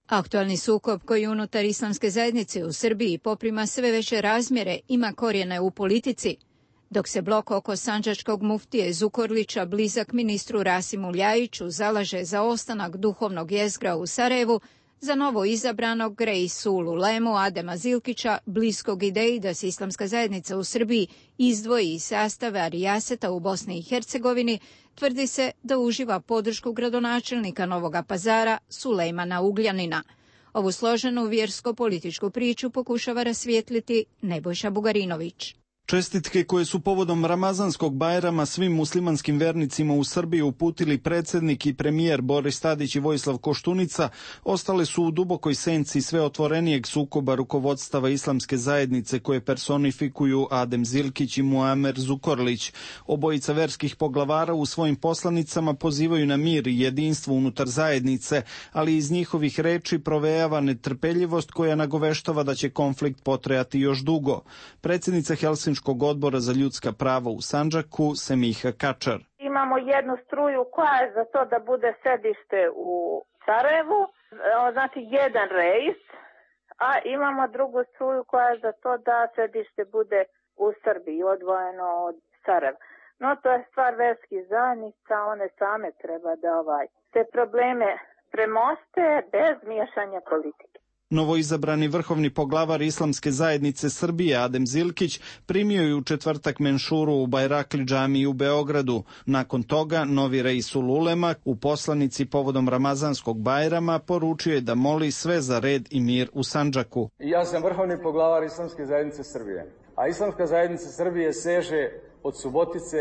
Aktualni sukob koji unutar islamske zajednice u Srbiji poprima sve veće razmjere ima korijene u politici. Dok se blok oko sandžačkog muftije Zukorlića, blizak ministru Rasimu Ljajiću, zalaže za ostanak duhovnog jezgra u Sarajevu, za novo izabranog Reisulu Lemu Adema Zilkića, bliskog ideji da se islamska zajednica u Srbiji izdvoji iz sastava Arijaseta u Bosni i Hercegovini, tvrdi se da uživa podršku gradonačelnika Novoga Pazara Sulejmana Ugljanina. Ovu složenu vjersko-političku priču pokušava rasvijetliti Nebojša Bugarinović. Čestitke koje su povodom Ramazanskog Bajrama svim muslimanskim vernicima u Srbiji uputili predsjednik i premijer Boris Tadić i Vojislav Koštunica ostale su u dubokoj senci sve otvorenijeg sukoba rukovodstava islamske zajednice koje personifikuju Adem Zilkić i Muamer Zukorlić. Obojica verskih poglavara u svojim poslanicama pozivaju na mir i jedinstvo unutar zajednice, ali iz njihovih reči provejava netrpeljivost koja nagoveštava da će konflikt potrajati još dugo. Predsjednica Helsinškog odbora za ljudska prava u Sandžaku, Semiha Kačar. Imamo jednu struju koja je za to da bude sedište u Sarajevu, znači jedan rejs, a imamo drugu struju koja je za to da sedište bude u Srbiji, odvojeno od Sarajeva. No to je stvar verskih zajednica, one same treba da ovaj te probleme premoste bez miješanja politike. Novoizabrani vrhovni poglavar islamske zajednice Srbije Adem Zilkić primio je u četvrtak menšuru u Bajrakli džamiji u Beogradu. Nakon toga novi Reisul Ulema u poslanici povodom Ramazanskog Bajrama poručio je da moli sve za red i mir u Sandžaku. Ja sam vrhovni poglavar islamske zajednice Srbije, a islamska zajednica Srbije seže od Subotice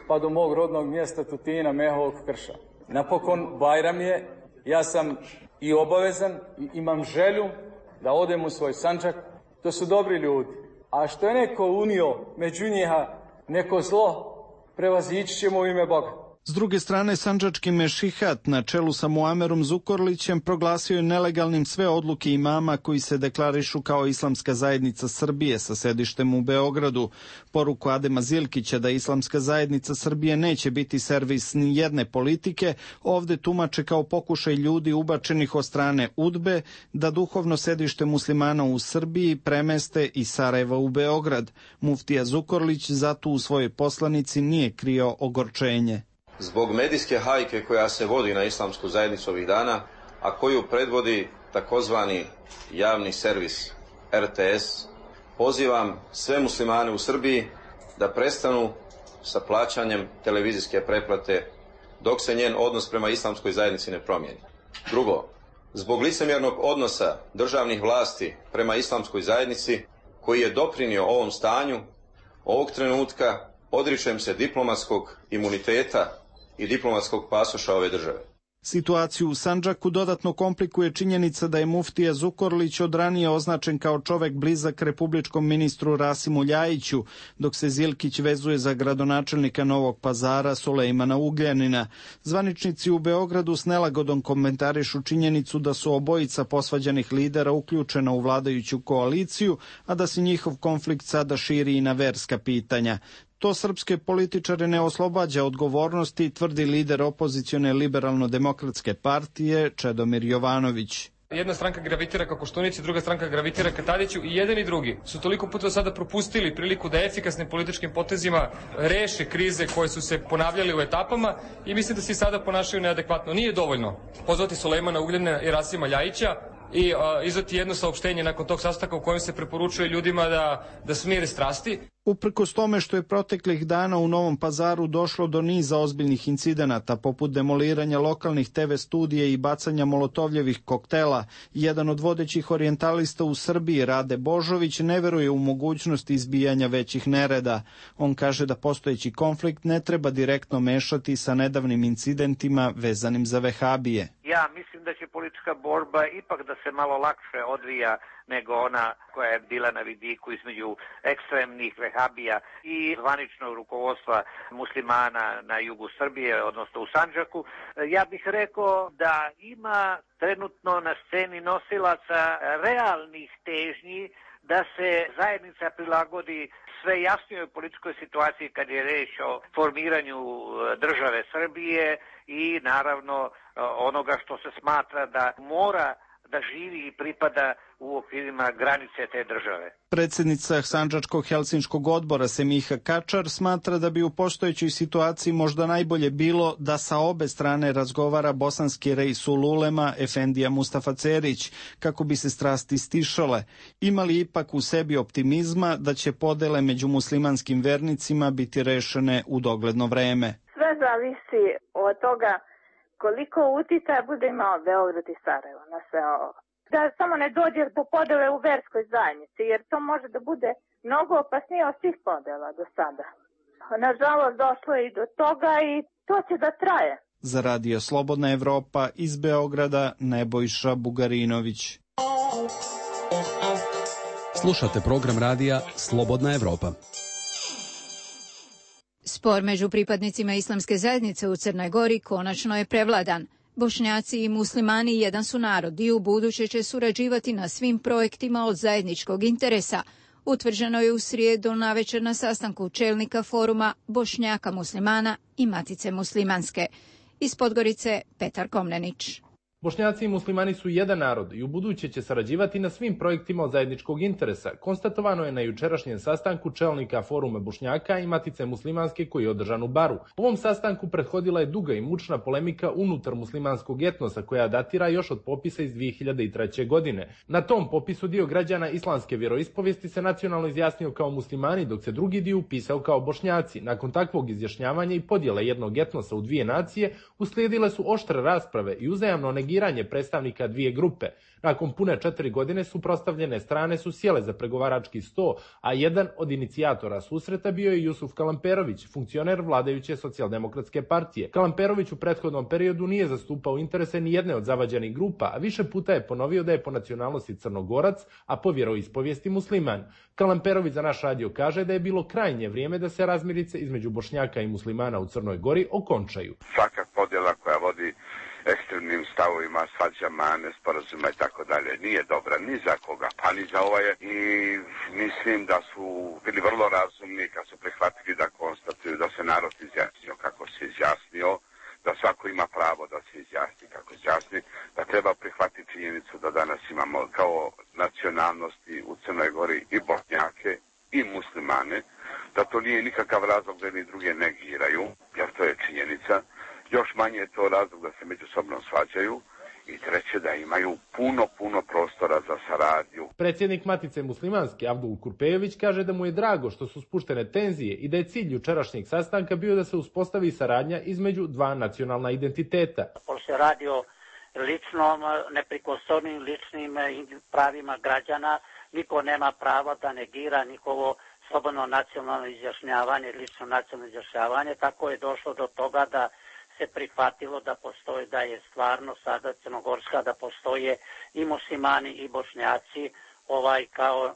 pa do mog rodnog mjesta Tutina, Mehovog Krša. Napokon Bajram je, ja sam i obavezan i imam želju da odem u svoj Sandžak. To su dobri ljudi. A što je neko unio među njiha neko zlo, prevazići ćemo u ime Boga. S druge strane, sandžački mešihat na čelu sa Muamerom Zukorlićem proglasio je nelegalnim sve odluke imama koji se deklarišu kao Islamska zajednica Srbije sa sedištem u Beogradu. Poruku Adema Zilkića da Islamska zajednica Srbije neće biti servis ni jedne politike, ovde tumače kao pokušaj ljudi ubačenih od strane UDBE da duhovno sedište muslimana u Srbiji premeste iz Sarajeva u Beograd. Muftija Zukorlić zato u svojoj poslanici nije krio ogorčenje. Zbog medijske hajke koja se vodi na islamsku zajednicu ovih dana, a koju predvodi takozvani javni servis R T S, pozivam sve muslimane u Srbiji da prestanu sa plaćanjem televizijske pretplate dok se njen odnos prema islamskoj zajednici ne promijeni. Drugo, zbog licemjernog odnosa državnih vlasti prema islamskoj zajednici koji je doprinio ovom stanju, ovog trenutka odričem se diplomatskog imuniteta i diplomatskog pasoša ove države. Situaciju u Sandžaku dodatno komplikuje činjenica da je muftija Zukorlić od ranije označen kao čovek blizak republičkom ministru Rasimu Ljajiću, dok se Zilkić vezuje za gradonačelnika Novog Pazara Sulejmana Ugljanina. Zvaničnici u Beogradu s nelagodom komentarišu činjenicu da su obojica posvađanih lidera uključena u vladajuću koaliciju, a da se njihov konflikt sada širi i na verska pitanja. To srpske političare ne oslobađa odgovornosti, tvrdi lider opozicione liberalno-demokratske partije Čedomir Jovanović. Jedna stranka gravitira ka Koštunici, druga stranka gravitira ka Tadiću i jedan i drugi su toliko puta sada propustili priliku da efikasnim političkim potezima reše krize koje su se ponavljali u etapama i mislim da se i sada ponašaju neadekvatno. Nije dovoljno pozvati Sulejmana Ugljana i Rasima Ljajića i uh, izdati jedno saopštenje nakon tog sastanka u kojem se preporučuje ljudima da, da smire strasti. Uprkos tome što je proteklih dana u Novom Pazaru došlo do niza ozbiljnih incidenata, poput demoliranja lokalnih te ve studija i bacanja molotovljevih koktela, jedan od vodećih orijentalista u Srbiji, Rade Božović, ne veruje u mogućnost izbijanja većih nereda. On kaže da postojeći konflikt ne treba direktno mešati sa nedavnim incidentima vezanim za vehabije. Ja mislim da će politička borba ipak da se malo lakše odvija nego ona koja je bila na vidiku između ekstremnih vehabija i zvaničnog rukovodstva muslimana na jugu Srbije, odnosno u Sandžaku. Ja bih rekao da ima trenutno na sceni nosilaca realnih težnji da se zajednica prilagodi sve jasnijoj političkoj situaciji kad je reč o formiranju države Srbije i naravno onoga što se smatra da mora da živi i pripada u okvirima granice te države. Predsjednica Sandžačkog helsinškog odbora Semiha Kačar smatra da bi u postojećoj situaciji možda najbolje bilo da sa obe strane razgovara bosanski rejsul ulema Efendija Mustafa Cerić, kako bi se strasti stišale. Ima li ipak u sebi optimizma da će podele među muslimanskim vernicima biti rešene u dogledno vreme? Sve zavisi od toga koliko uticaja bude imao Beograd i Sarajevo na sve ovo. Da samo ne dođe do podele u verskoj zajednici, jer to može da bude mnogo opasnije od svih podela do sada. Nažalost, došlo je i do toga i to će da traje. Za Radio Slobodna Evropa iz Beograda, Nebojša Bugarinović. Slušate program radija Slobodna Evropa. Spor među pripadnicima islamske zajednice u Crnoj Gori konačno je prevladan. Bošnjaci i muslimani jedan su narod i u buduće će surađivati na svim projektima od zajedničkog interesa. Utvrđeno je u srijedu navečer na sastanku čelnika foruma Bošnjaka muslimana i Matice muslimanske. Iz Podgorice Petar Komnenić. Bošnjaci i muslimani su jedan narod i u buduće će sarađivati na svim projektima od zajedničkog interesa, konstatovano je na jučerašnjem sastanku čelnika foruma Bošnjaka i Matice muslimanske koji je održan u Baru. Ovom sastanku prethodila je duga i mučna polemika unutar muslimanskog etnosa koja datira još od popisa iz dvije hiljade treće. godine. Na tom popisu dio građana islamske vjeroispovijesti se nacionalno izjasnio kao muslimani, dok se drugi dio upisao kao Bošnjaci. Nakon takvog izjašnjavanja i podjele jednog etnosa u dvije nacije uslijedile su oštre rasprave i uzajamno negiranje negiranje predstavnika dvije grupe. Nakon pune četiri godine suprotstavljene strane su sjele za pregovarački sto, a jedan od inicijatora susreta bio je Jusuf Kalamperović, funkcioner vladajuće socijaldemokratske partije. Kalamperović u prethodnom periodu nije zastupao interese ni jedne od zavađenih grupa, a više puta je ponovio da je po nacionalnosti Crnogorac, a po vjeroispovijesti musliman. Kalamperović za naš radio kaže da je bilo krajnje vrijeme da se razmirice između Bošnjaka i muslimana u Crnoj Gori okončaju. Svaka podjela koja vodi ekstremnim stavovima, svađama, nesporazuma i tako dalje nije dobra ni za koga, pa ni za ovaj. I mislim da su bili vrlo razumni kad su prihvatili da konstatuju da se narod izjasnio kako se izjasnio, da svako ima pravo da se izjasni kako se izjasni, da treba prihvatiti činjenicu da danas imamo kao nacionalnosti u Crnoj Gori i Bošnjake i muslimane, da to nije nikakav razlog da ni druge negiraju, jer to je činjenica. Još manje je to razlog da se međusobno svađaju i treće da imaju puno, puno prostora za saradnju. Predsjednik Matice muslimanske Abdul Kurpejević kaže da mu je drago što su spuštene tenzije i da je cilj jučerašnjeg sastanka bio da se uspostavi saradnja između dva nacionalna identiteta. Pošto se radi o ličnom, neprikosnovnim ličnim pravima građana, niko nema prava da negira njihovo slobodno nacionalno izjašnjavanje, lično nacionalno izjašnjavanje, tako je došlo do toga da se prihvatilo da postoji, da je stvarno sada Crnogorska, da postoje i muslimani i Bošnjaci ovaj kao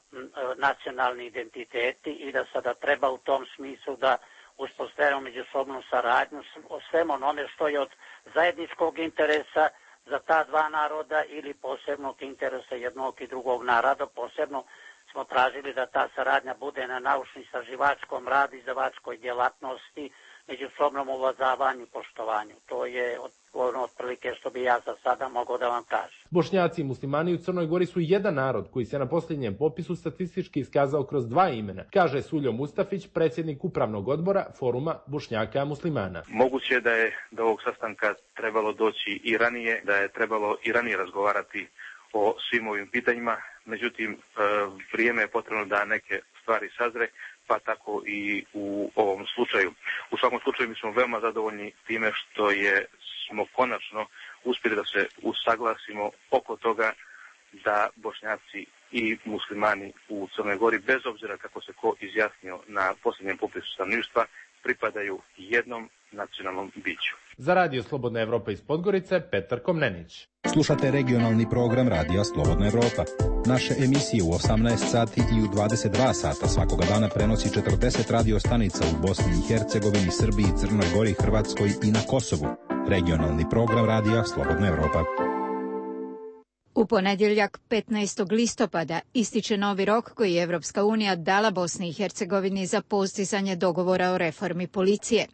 nacionalni identiteti i da sada treba u tom smislu da uspostavimo međusobnu saradnju o svem onome što je od zajedničkog interesa za ta dva naroda ili posebnog interesa jednog i drugog naroda. Posebno smo tražili da ta saradnja bude na naučno-istraživačkom radu, izdavačkoj djelatnosti, međusobnom uvažavanju i poštovanju. To je ono otprilike što bi ja za sada mogao da vam kažem. Bošnjaci i muslimani u Crnoj Gori su jedan narod koji se na posljednjem popisu statistički iskazao kroz dva imena, kaže Suljo Mustafić, predsjednik upravnog odbora Foruma Bošnjaka muslimana. Moguće je da je do ovog sastanka trebalo doći i ranije, da je trebalo i ranije razgovarati o svim ovim pitanjima, međutim vrijeme je potrebno da neke stvari sazre, pa tako i u ovom slučaju. U svakom slučaju mi smo veoma zadovoljni time što je smo konačno uspjeli da se usaglasimo oko toga da Bošnjaci i muslimani u Crnoj Gori, bez obzira kako se ko izjasnio na posljednjem popisu stanovništva, pripadaju jednom nacionalnom biću. Za Radio Slobodna Evropa iz Podgorice, Petar Komnenić. Slušate regionalni program Radija Slobodna Evropa. Naše emisije u osamnaest sati i u dvadeset dva sata svakoga dana prenosi četrdeset radio stanica u Bosni i Hercegovini, Srbiji, Crnoj Gori, Hrvatskoj i na Kosovu. Regionalni program Radija Slobodna Evropa. U ponedjeljak petnaestog listopada ističe novi rok koji je Evropska unija dala Bosni i Hercegovini za postizanje dogovora o reformi policije.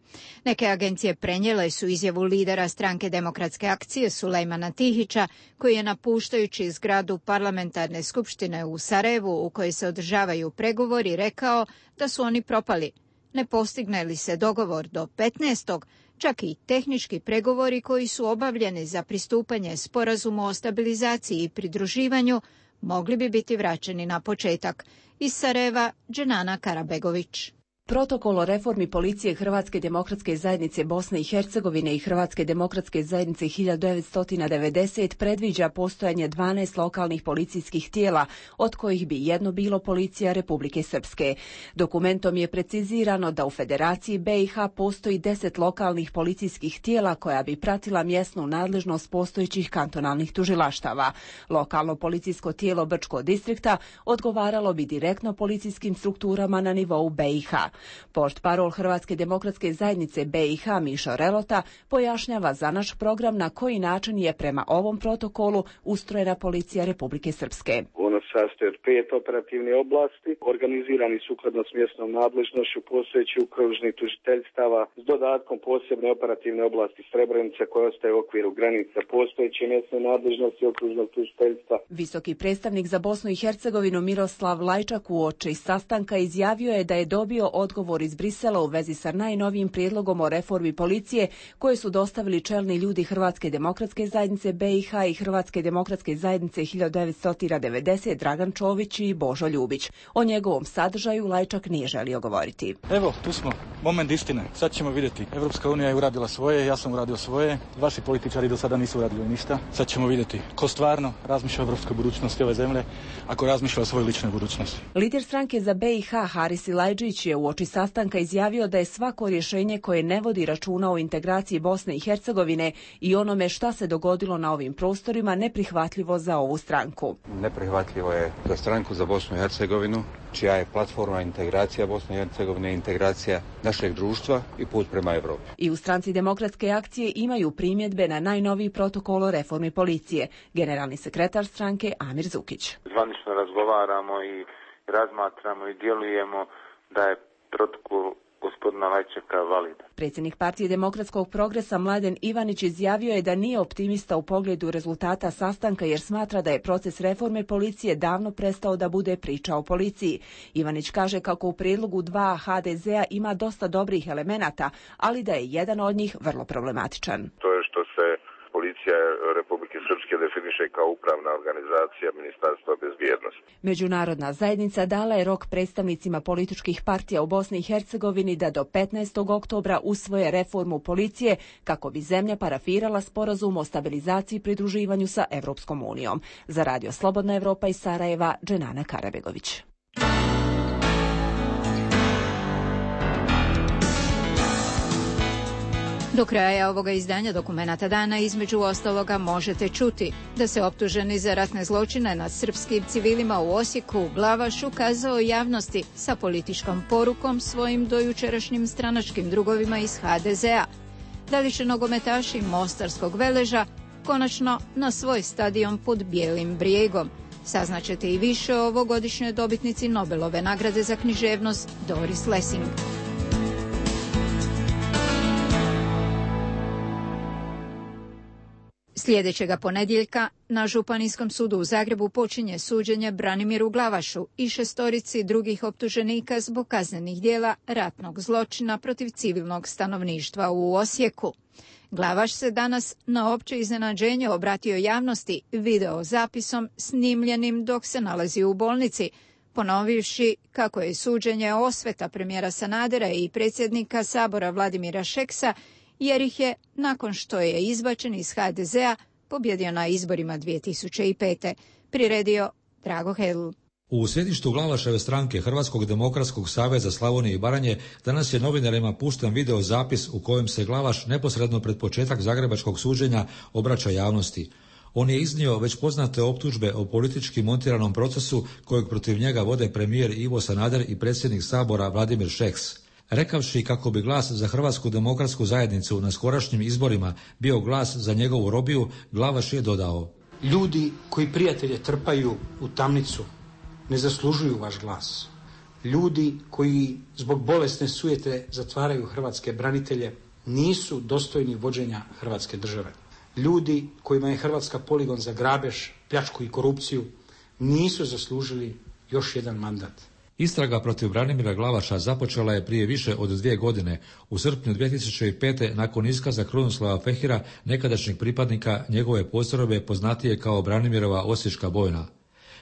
Neke agencije prenijele su izjavu lidera stranke Demokratske akcije Sulejmana Tihića, koji je napuštajući zgradu parlamentarne skupštine u Sarajevu u kojoj se održavaju pregovori rekao da su oni propali. Ne postigne li se dogovor do petnaestog čak i tehnički pregovori koji su obavljeni za pristupanje sporazumu o stabilizaciji i pridruživanju mogli bi biti vraćeni na početak. Iz Sarajeva, Dženana Karabegović. Protokol o reformi policije Hrvatske demokratske zajednice Bosne i Hercegovine i Hrvatske demokratske zajednice hiljadu devetsto devedeset predviđa postojanje dvanaest lokalnih policijskih tijela, od kojih bi jedno bilo Policija Republike Srpske. Dokumentom je precizirano da u Federaciji B i H postoji deset lokalnih policijskih tijela koja bi pratila mjesnu nadležnost postojećih kantonalnih tužilaštava. Lokalno policijsko tijelo Brčkog distrikta odgovaralo bi direktno policijskim strukturama na nivou B i H. Portparol Hrvatske demokratske zajednice B i H Mišo Relota pojašnjava za naš program na koji način je prema ovom protokolu ustrojena Policija Republike Srpske. Ono sastoji od pet operativne oblasti, organizirani sukladno s mjesnom nadležnošću postojećih okružnih tužiteljstava s dodatkom posebne operativne oblasti Srebrenica koja ostaje u okviru granica postojeće mjesne nadležnosti okružnog tužiteljstva. Visoki predstavnik za Bosnu i Hercegovinu Miroslav Lajčak uoči sastanka izjavio je da je dobio odgovor iz Brisela u vezi sa najnovijim prijedlogom o reformi policije koje su dostavili čelni ljudi Hrvatske demokratske zajednice B i H i Hrvatske demokratske zajednice hiljadu devetsto devedeset Dragan Čović i Božo Ljubić. O njegovom sadržaju Lajčak nije želio govoriti. Evo, tu smo. Moment istine. Sad ćemo vidjeti. Evropska unija je uradila svoje, ja sam uradio svoje. Vaši političari do sada nisu uradili ništa. Sad ćemo vidjeti ko stvarno razmišlja o evropskoj budućnosti ove zemlje, ako razmišlja o svojoj ličnoj budućnosti. Lider stranke za B i H Haris Ilajđić je uoči sastanka izjavio da je svako rješenje koje ne vodi računa o integraciji Bosne i Hercegovine i onome šta se dogodilo na ovim prostorima neprihvatljivo za ovu stranku. Neprihvatljivo je za stranku za Bosnu i Hercegovinu, čija je platforma integracija Bosne i Hercegovine, integracija našeg društva i put prema Evropi. I u stranci Demokratske akcije imaju primjedbe na najnoviji protokol o reformi policije. Generalni sekretar stranke Amir Zukić. Zvanično razgovaramo i razmatramo i djelujemo da je protokol gospodina Lajčaka valida. Predsjednik Partije Demokratskog progresa Mladen Ivanić izjavio je da nije optimista u pogledu rezultata sastanka jer smatra da je proces reforme policije davno prestao da bude priča o policiji. Ivanić kaže kako u prijedlogu dva H D Z-a ima dosta dobrih elemenata, ali da je jedan od njih vrlo problematičan. To je što se policija Republike Srpske definiše kao upravna organizacija Ministarstva bezbjednosti. Međunarodna zajednica dala je rok predstavnicima političkih partija u Bosni i Hercegovini da do petnaestog oktobra usvoje reformu policije kako bi zemlja parafirala sporazum o stabilizaciji i pridruživanju sa Evropskom unijom. Za Radio Slobodna Evropa iz Sarajeva, Dženana Karabegović. Do kraja ovoga izdanja Dokumenata dana između ostaloga možete čuti da se optuženi za ratne zločine nad srpskim civilima u Osijeku Glavaš ukazao javnosti sa političkom porukom svojim dojučerašnjim stranačkim drugovima iz H D Z-a. Da li će nogometaši Mostarskog Veleža konačno na svoj stadion pod Bijelim brijegom? Saznaćete i više o ovogodišnjoj dobitnici Nobelove nagrade za književnost Doris Lessing. Sljedećega ponedjeljka na Županijskom sudu u Zagrebu počinje suđenje Branimiru Glavašu i šestorici drugih optuženika zbog kaznenih djela ratnog zločina protiv civilnog stanovništva u Osijeku. Glavaš se danas na opće iznenađenje obratio javnosti video zapisom snimljenim dok se nalazi u bolnici, ponovivši kako je suđenje osveta premijera Sanadera i predsjednika Sabora Vladimira Šeksa, jer ih je, nakon što je izbačen iz H D Z-a, pobjedio na izborima dvije tisuće pete. Priredio Drago Hedl. U sjedištu Glavaševe stranke Hrvatskog demokratskog saveza Slavonije i Baranje danas je novinarima pušten video zapis u kojem se Glavaš neposredno pred početak zagrebačkog suđenja obraća javnosti. On je iznio već poznate optužbe o politički montiranom procesu kojeg protiv njega vode premijer Ivo Sanader i predsjednik Sabora Vladimir Šeks. Rekavši kako bi glas za Hrvatsku demokratsku zajednicu na skorašnjim izborima bio glas za njegovu robiju, Glavaš je dodao: Ljudi koji prijatelje trpaju u tamnicu ne zaslužuju vaš glas. Ljudi koji zbog bolesne sujete zatvaraju hrvatske branitelje nisu dostojni vođenja Hrvatske države. Ljudi kojima je Hrvatska poligon za grabež, pljačku i korupciju nisu zaslužili još jedan mandat. Istraga protiv Branimira Glavaša započela je prije više od dvije godine, u srpnju dvije tisuće pete nakon iskaza Krunoslava Fehira, nekadašnjeg pripadnika njegove postrojbe poznatije kao Branimirova Osječka bojna.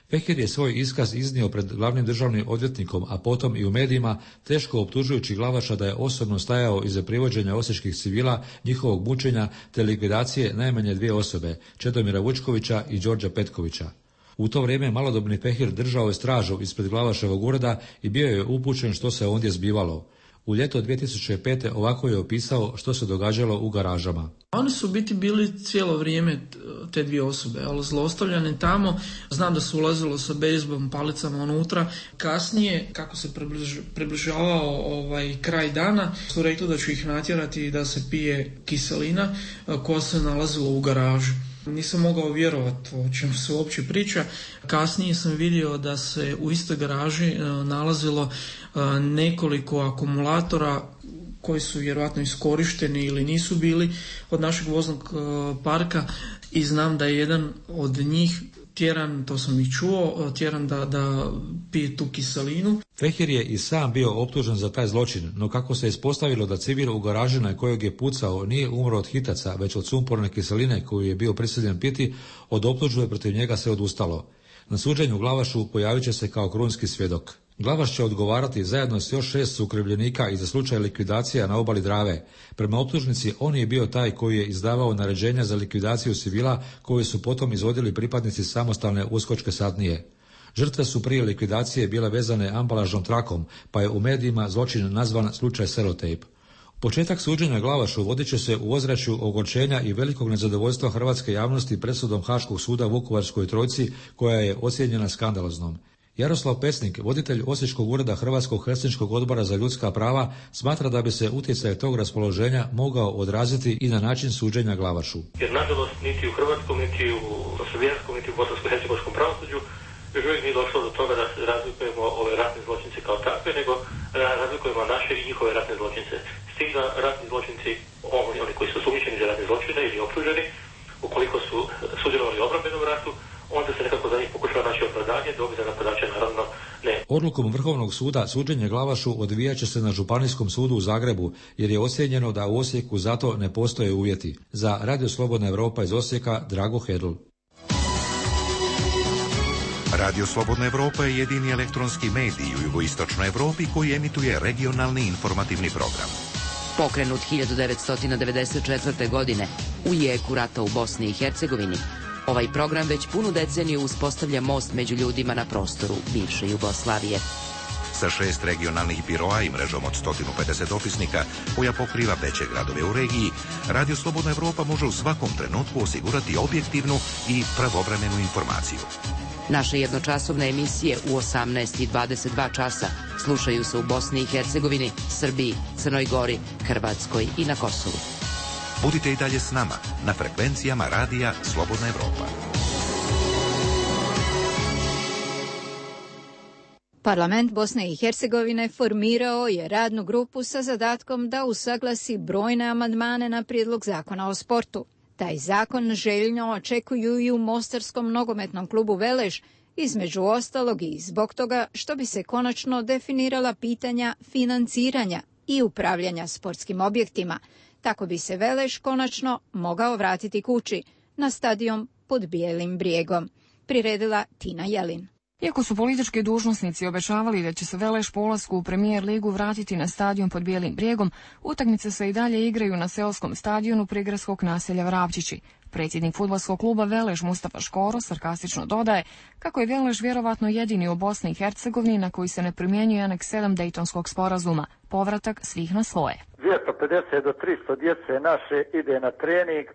Fehir je svoj iskaz iznio pred glavnim državnim odvjetnikom, a potom i u medijima, teško optužujući Glavaša da je osobno stajao iza privođenja osječkih civila, njihovog mučenja te likvidacije najmanje dvije osobe, Čedomira Vučkovića i Đorđa Petkovića. U to vrijeme malodobni Fehir držao je stražu ispred Glavaševog ureda i bio je upućen što se ondje zbivalo. U ljeto dvije tisuće pete ovako je opisao što se događalo u garažama. Oni su biti bili cijelo vrijeme te dvije osobe, ali zlostavljane tamo. Znam da su ulazilo sa bejzbolom palicama unutra. Kasnije, kako se približ, približavao ovaj kraj dana, su rekli da ću ih natjerati da se pije kiselina koja se nalazila u garažu. Nisam mogao vjerovati o čemu se uopće priča. Kasnije sam vidio da se u istoj garaži nalazilo nekoliko akumulatora koji su vjerojatno iskorišteni ili nisu bili od našeg voznog parka i znam da je jedan od njih tjeran, to sam i čuo, tjeran da, da pije tu kiselinu. Fehir je i sam bio optužen za taj zločin, no kako se ispostavilo da civil u garaži na kojeg je pucao nije umro od hitaca, već od sumporne kiseline koju je bio prisiljen piti, od optužbe protiv njega se odustalo. Na suđenju Glavašu pojavit će se kao krunski svjedok. Glavaš će odgovarati zajedno s još šest sukrivljenika i za slučaj likvidacija na obali Drave. Prema optužnici, on je bio taj koji je izdavao naređenja za likvidaciju civila koje su potom izvodili pripadnici samostalne uskočke satnije. Žrtve su prije likvidacije bile vezane ambalažnom trakom, pa je u medijima zločin nazvan slučaj Selotejp. Početak suđenja Glavašu vodit će se u ozračju ogorčenja i velikog nezadovoljstva hrvatske javnosti presudom Haškog suda Vukovarskoj trojci, koja je ocijenjena skandaloznom. Jaroslav Pesnik, voditelj Osječkog ureda Hrvatskog helsinškog odbora za ljudska prava, smatra da bi se utjecaj tog raspoloženja mogao odraziti i na način suđenja Glavašu. Jer nažalost niti u hrvatskom, niti u slovenskom, niti u bosansko-hercegovačkom pravosuđu još uvijek nije došlo do toga da se razlikujemo ove ratne zločince kao takve, nego razlikujemo naše i njihove ratne zločince. S tim da ratni zločinci, oni koji su sumnjičeni za ratne zločine ili optuženi, ukoliko su sudjelovali u obrambenom ratu, onda se nekako za njih pokušava naše opravdanje, dok za napadače naravno ne. Odlukom Vrhovnog suda suđenje Glavašu odvijat će se na Županijskom sudu u Zagrebu, jer je ocijenjeno da u Osijeku zato ne postoje uvjeti. Za Radio Slobodna Europa iz Osijeka, Drago Hedl. Radio Slobodna Europa je jedini elektronski medij u jugoistočnoj Europi koji emituje regionalni informativni program. Pokrenut hiljadu devetsto devedeset četvrte. godine u jeku rata u Bosni i Hercegovini, ovaj program već punu deceniju uspostavlja most među ljudima na prostoru bivše Jugoslavije. Sa šest regionalnih biroa i mrežom od sto pedeset opisnika koja pokriva veće gradove u regiji, Radio Slobodna Europa može u svakom trenutku osigurati objektivnu i pravovremenu informaciju. Naše jednočasovne emisije u osamnaest i dvadeset dva časa slušaju se u Bosni i Hercegovini, Srbiji, Crnoj Gori, Hrvatskoj i na Kosovu. Budite i dalje s nama na frekvencijama Radija Slobodna Europa. Parlament Bosne i Hercegovine formirao je radnu grupu sa zadatkom da usaglasi brojne amandmane na prijedlog zakona o sportu. Taj zakon željno očekuju i u mostarskom nogometnom klubu Veleš, između ostalog i zbog toga što bi se konačno definirala pitanja financiranja i upravljanja sportskim objektima. Tako bi se Veleš konačno mogao vratiti kući na stadion pod Bijelim brijegom. Priredila Tina Jelin. Iako su politički dužnosnici obećavali da će se Veleš po ulasku u Premijer ligu vratiti na stadion pod Bijelim brijegom, utakmice se i dalje igraju na seoskom stadionu prigradskog naselja Vrapčići. Predsjednik fudbalskog kluba Veleš Mustafa Škoro sarkastično dodaje kako je Veleš vjerovatno jedini u Bosni i Hercegovini na koji se ne primjenjuje aneks sedam Dejtonskog sporazuma, povratak svih na svoje. dvjesto pedeset do tristo djece naše ide na trening,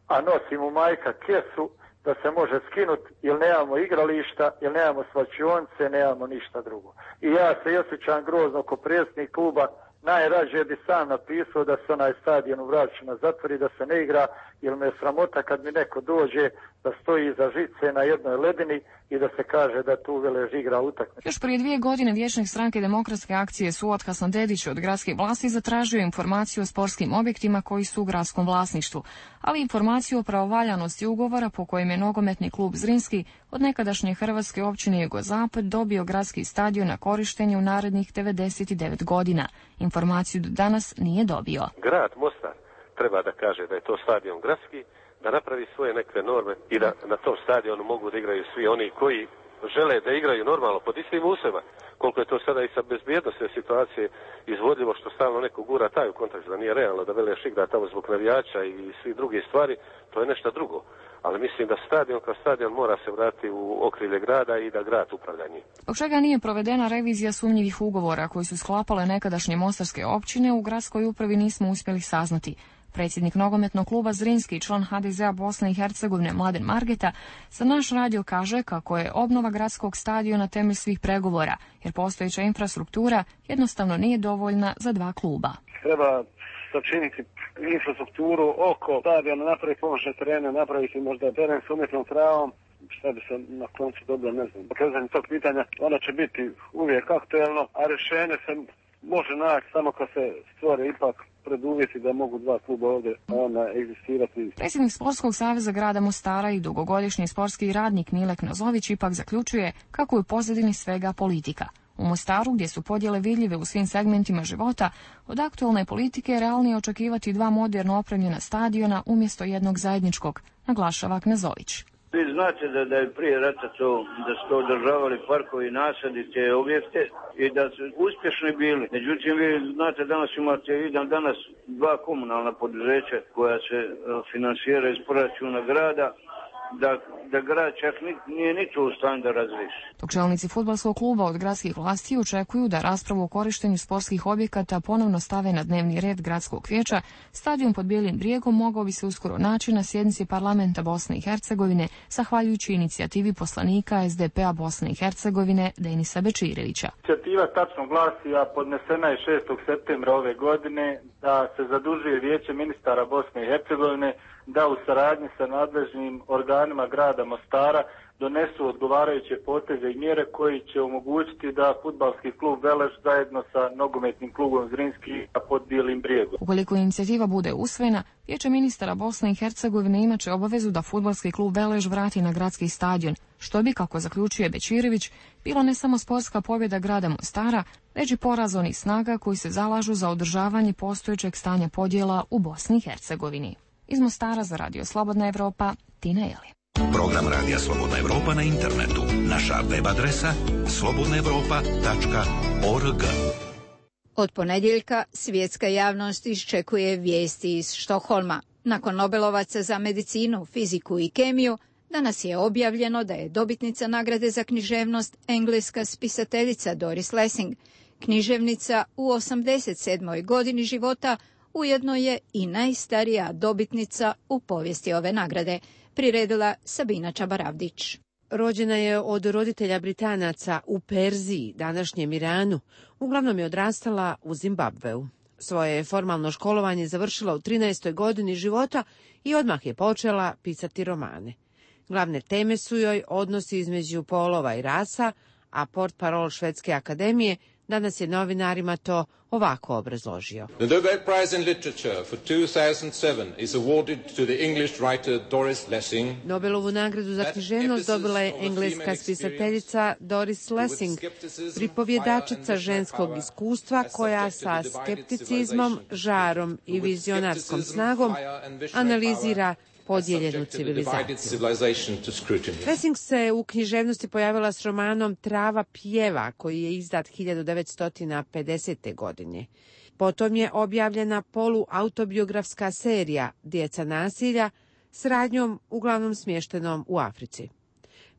a nosi mu majka kesu da se može skinuti, jer nemamo igrališta, jer nemamo svačionice, nemamo ništa drugo. I ja se osjećam grozno ko predsjednik kluba, najrađe bi sam napisao da se onaj stadion u Vrapčima zatvori, da se ne igra, jer me je sramota kad mi neko dođe da stoji iza žice na jednoj ledini i da se kaže da tu Veleš igra utakmicu. Još prije dvije godine vijećnik stranke Demokratske akcije Suat Hasandić od gradskih vlasti zatražio informaciju o sportskim objektima koji su u gradskom vlasništvu, ali informaciju o pravovaljanosti ugovora po kojem je nogometni klub Zrinski od nekadašnje hrvatske općine Jugozapad dobio gradski stadion na korištenje u narednih devedeset devet godina. Informaciju do danas nije dobio. Grad Mostar treba da kaže da je to stadion gradski, da napravi svoje neke norme i da na tom stadionu mogu da igraju svi oni koji žele da igraju normalno pod istim uslovima. Koliko je to sada i sa bezbjednostne situacije izvodljivo što stalno neko gura taj u kontekst da nije realno da Veleš igra tamo zbog navijača i svi druge stvari, to je nešto drugo. Ali mislim da stadion kao stadion mora se vratiti u okrilje grada i da grad upravlja njim. Zbog čega nije provedena revizija sumnjivih ugovora koji su sklapale nekadašnje mostarske općine, u gradskoj upravi nismo uspjeli saznati. Predsjednik nogometnog kluba Zrinski i član ha de zea Bosne i Hercegovine Mladen Margeta za naš radio kaže kako je obnova gradskog stadiona temelj svih pregovora, jer postojeća infrastruktura jednostavno nije dovoljna za dva kluba. Treba sačiniti infrastrukturu oko stadiona, napraviti pomoćne terene, napraviti možda teren s umjetnom travom, šta bi se na koncu dobilo, ne znam. Pokretanje tog pitanja, ona će biti uvijek aktuelno, a rješenje se može naći samo kad se stvore ipak preduvjeti da mogu dva kluba ovdje ona egzistirati. Predsjednik Sportskog saveza grada Mostara i dugogodišnji sportski radnik Milek Nozović ipak zaključuje kako je u pozadini svega politika. U Mostaru, gdje su podjele vidljive u svim segmentima života, od aktualne politike je realnije očekivati dva moderno opremljena stadiona umjesto jednog zajedničkog, naglašava Knezović. Vi znate da, da je prije rata to, da su to održavali parkovi, nasadi, te objekte i da su uspješni bili. Međutim, vi znate, danas imate jedan danas dva komunalna poduzeća koja se finansira iz proračuna grada, da, da grad čak nije ni to u stanju da razriješi. Dok čelnici fudbalskog kluba od gradskih vlasti očekuju da raspravu o korištenju sportskih objekata ponovno stave na dnevni red gradskog vijeća, stadion pod Bijelim brijegom mogao bi se uskoro naći na sjednici parlamenta Bosne i Hercegovine, zahvaljujući inicijativi poslanika es de pe-a Bosne i Hercegovine Denisa Bečirevića. Inicijativa tačno glasi, a podnesena je šestog septembra ove godine, da se zadužuje Vijeće ministara Bosne i Hercegovine da u saradnji sa nadležnim organima grada Mostara donesu odgovarajuće poteze i mjere koji će omogućiti da fudbalski klub Veleš zajedno sa nogometnim klubom Zrinski pod Bijelim brijegom. Ukoliko inicijativa bude usvojena, Vijeće ministara Bosne i Hercegovine imaće obavezu da fudbalski klub Veleš vrati na gradski stadion, što bi, kako zaključuje Bečirević, bilo ne samo sportska pobjeda grada Mostara, već i poraz onih snaga koji se zalažu za održavanje postojećeg stanja podjela u Bosni i Hercegovini. Iz Mostara za Radio Slobodna Evropa, Tina Jeli. Program Radija Slobodna Evropa na internetu. Naša web adresa slobodna evropa tačka org. Od ponedjeljka svjetska javnost iščekuje vijesti iz Štokholma. Nakon Nobelovaca za medicinu, fiziku i kemiju, danas je objavljeno da je dobitnica nagrade za književnost engleska spisateljica Doris Lessing. Književnica u osamdeset sedmoj godini života ujedno je i najstarija dobitnica u povijesti ove nagrade, priredila Sabina Čabaravdić. Rođena je od roditelja Britanaca u Perziji, današnjem Iranu. Uglavnom je odrastala u Zimbabveu. Svoje formalno školovanje završila u trinaestoj godini života i odmah je počela pisati romane. Glavne teme su joj odnosi između polova i rasa, a portparol Švedske akademije danas je novinarima to ovako obrazložio. The Nobel Prize in Literature for two thousand seven is awarded to the English writer Doris Lessing. Nobelovu nagradu za književnost dobila je engleska spisateljica Doris Lessing, pripovjedačica ženskog iskustva koja sa skepticizmom, žarom i vizionarskom snagom analizira podijeljenu civilizaciju. Lessing se u književnosti pojavila s romanom Trava pjeva, koji je izdat hiljadu devetsto pedesete. godine. Potom je objavljena poluautobiografska serija Djeca nasilja s radnjom uglavnom smještenom u Africi.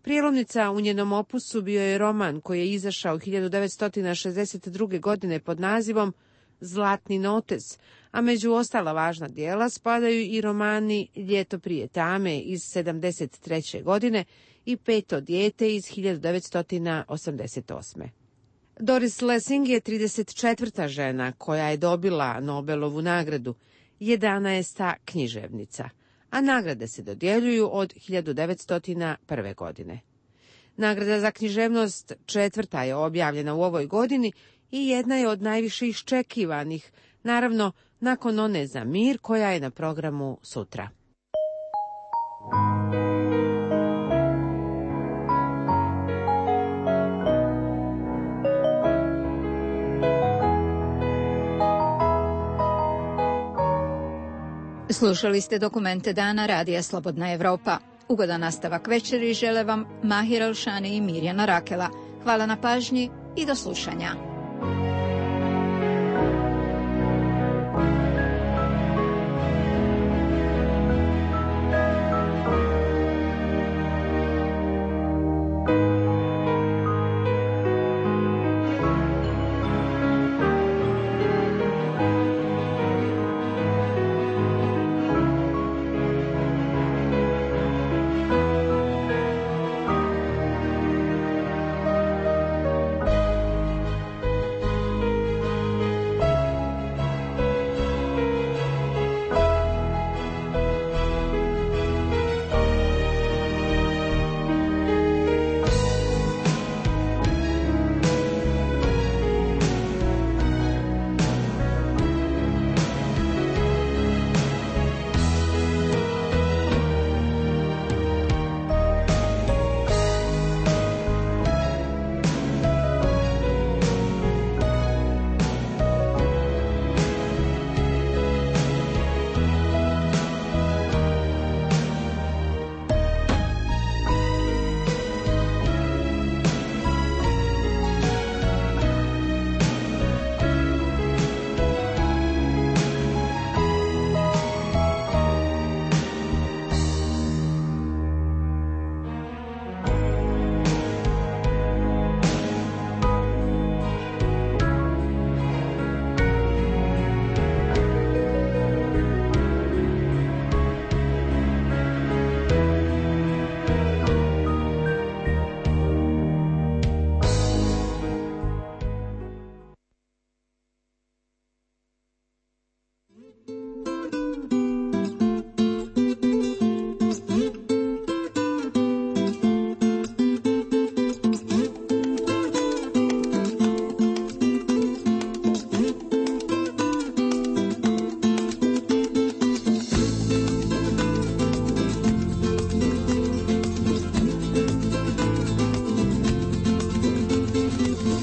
Prijelomnica u njenom opusu bio je roman koji je izašao hiljadu devetsto šezdeset druge. godine pod nazivom Zlatni notez, a među ostala važna djela spadaju i romani Ljeto prije tame iz sedamdeset treće. godine i Peto dijete iz hiljadu devetsto osamdeset osme. Doris Lessing je trideset četvrta žena koja je dobila Nobelovu nagradu, jedanaesta književnica, a nagrade se dodjeljuju od hiljadu devetsto prve. godine. Nagrada za književnost četvrta je objavljena u ovoj godini i jedna je od najviše iščekivanih, naravno nakon one za mir koja je na programu sutra. Slušali ste dokumente dana Radija Slobodna Evropa. Ugodan nastavak večeri žele vam Mahir Alšani i Mirjana Rakela. Hvala na pažnji i do slušanja.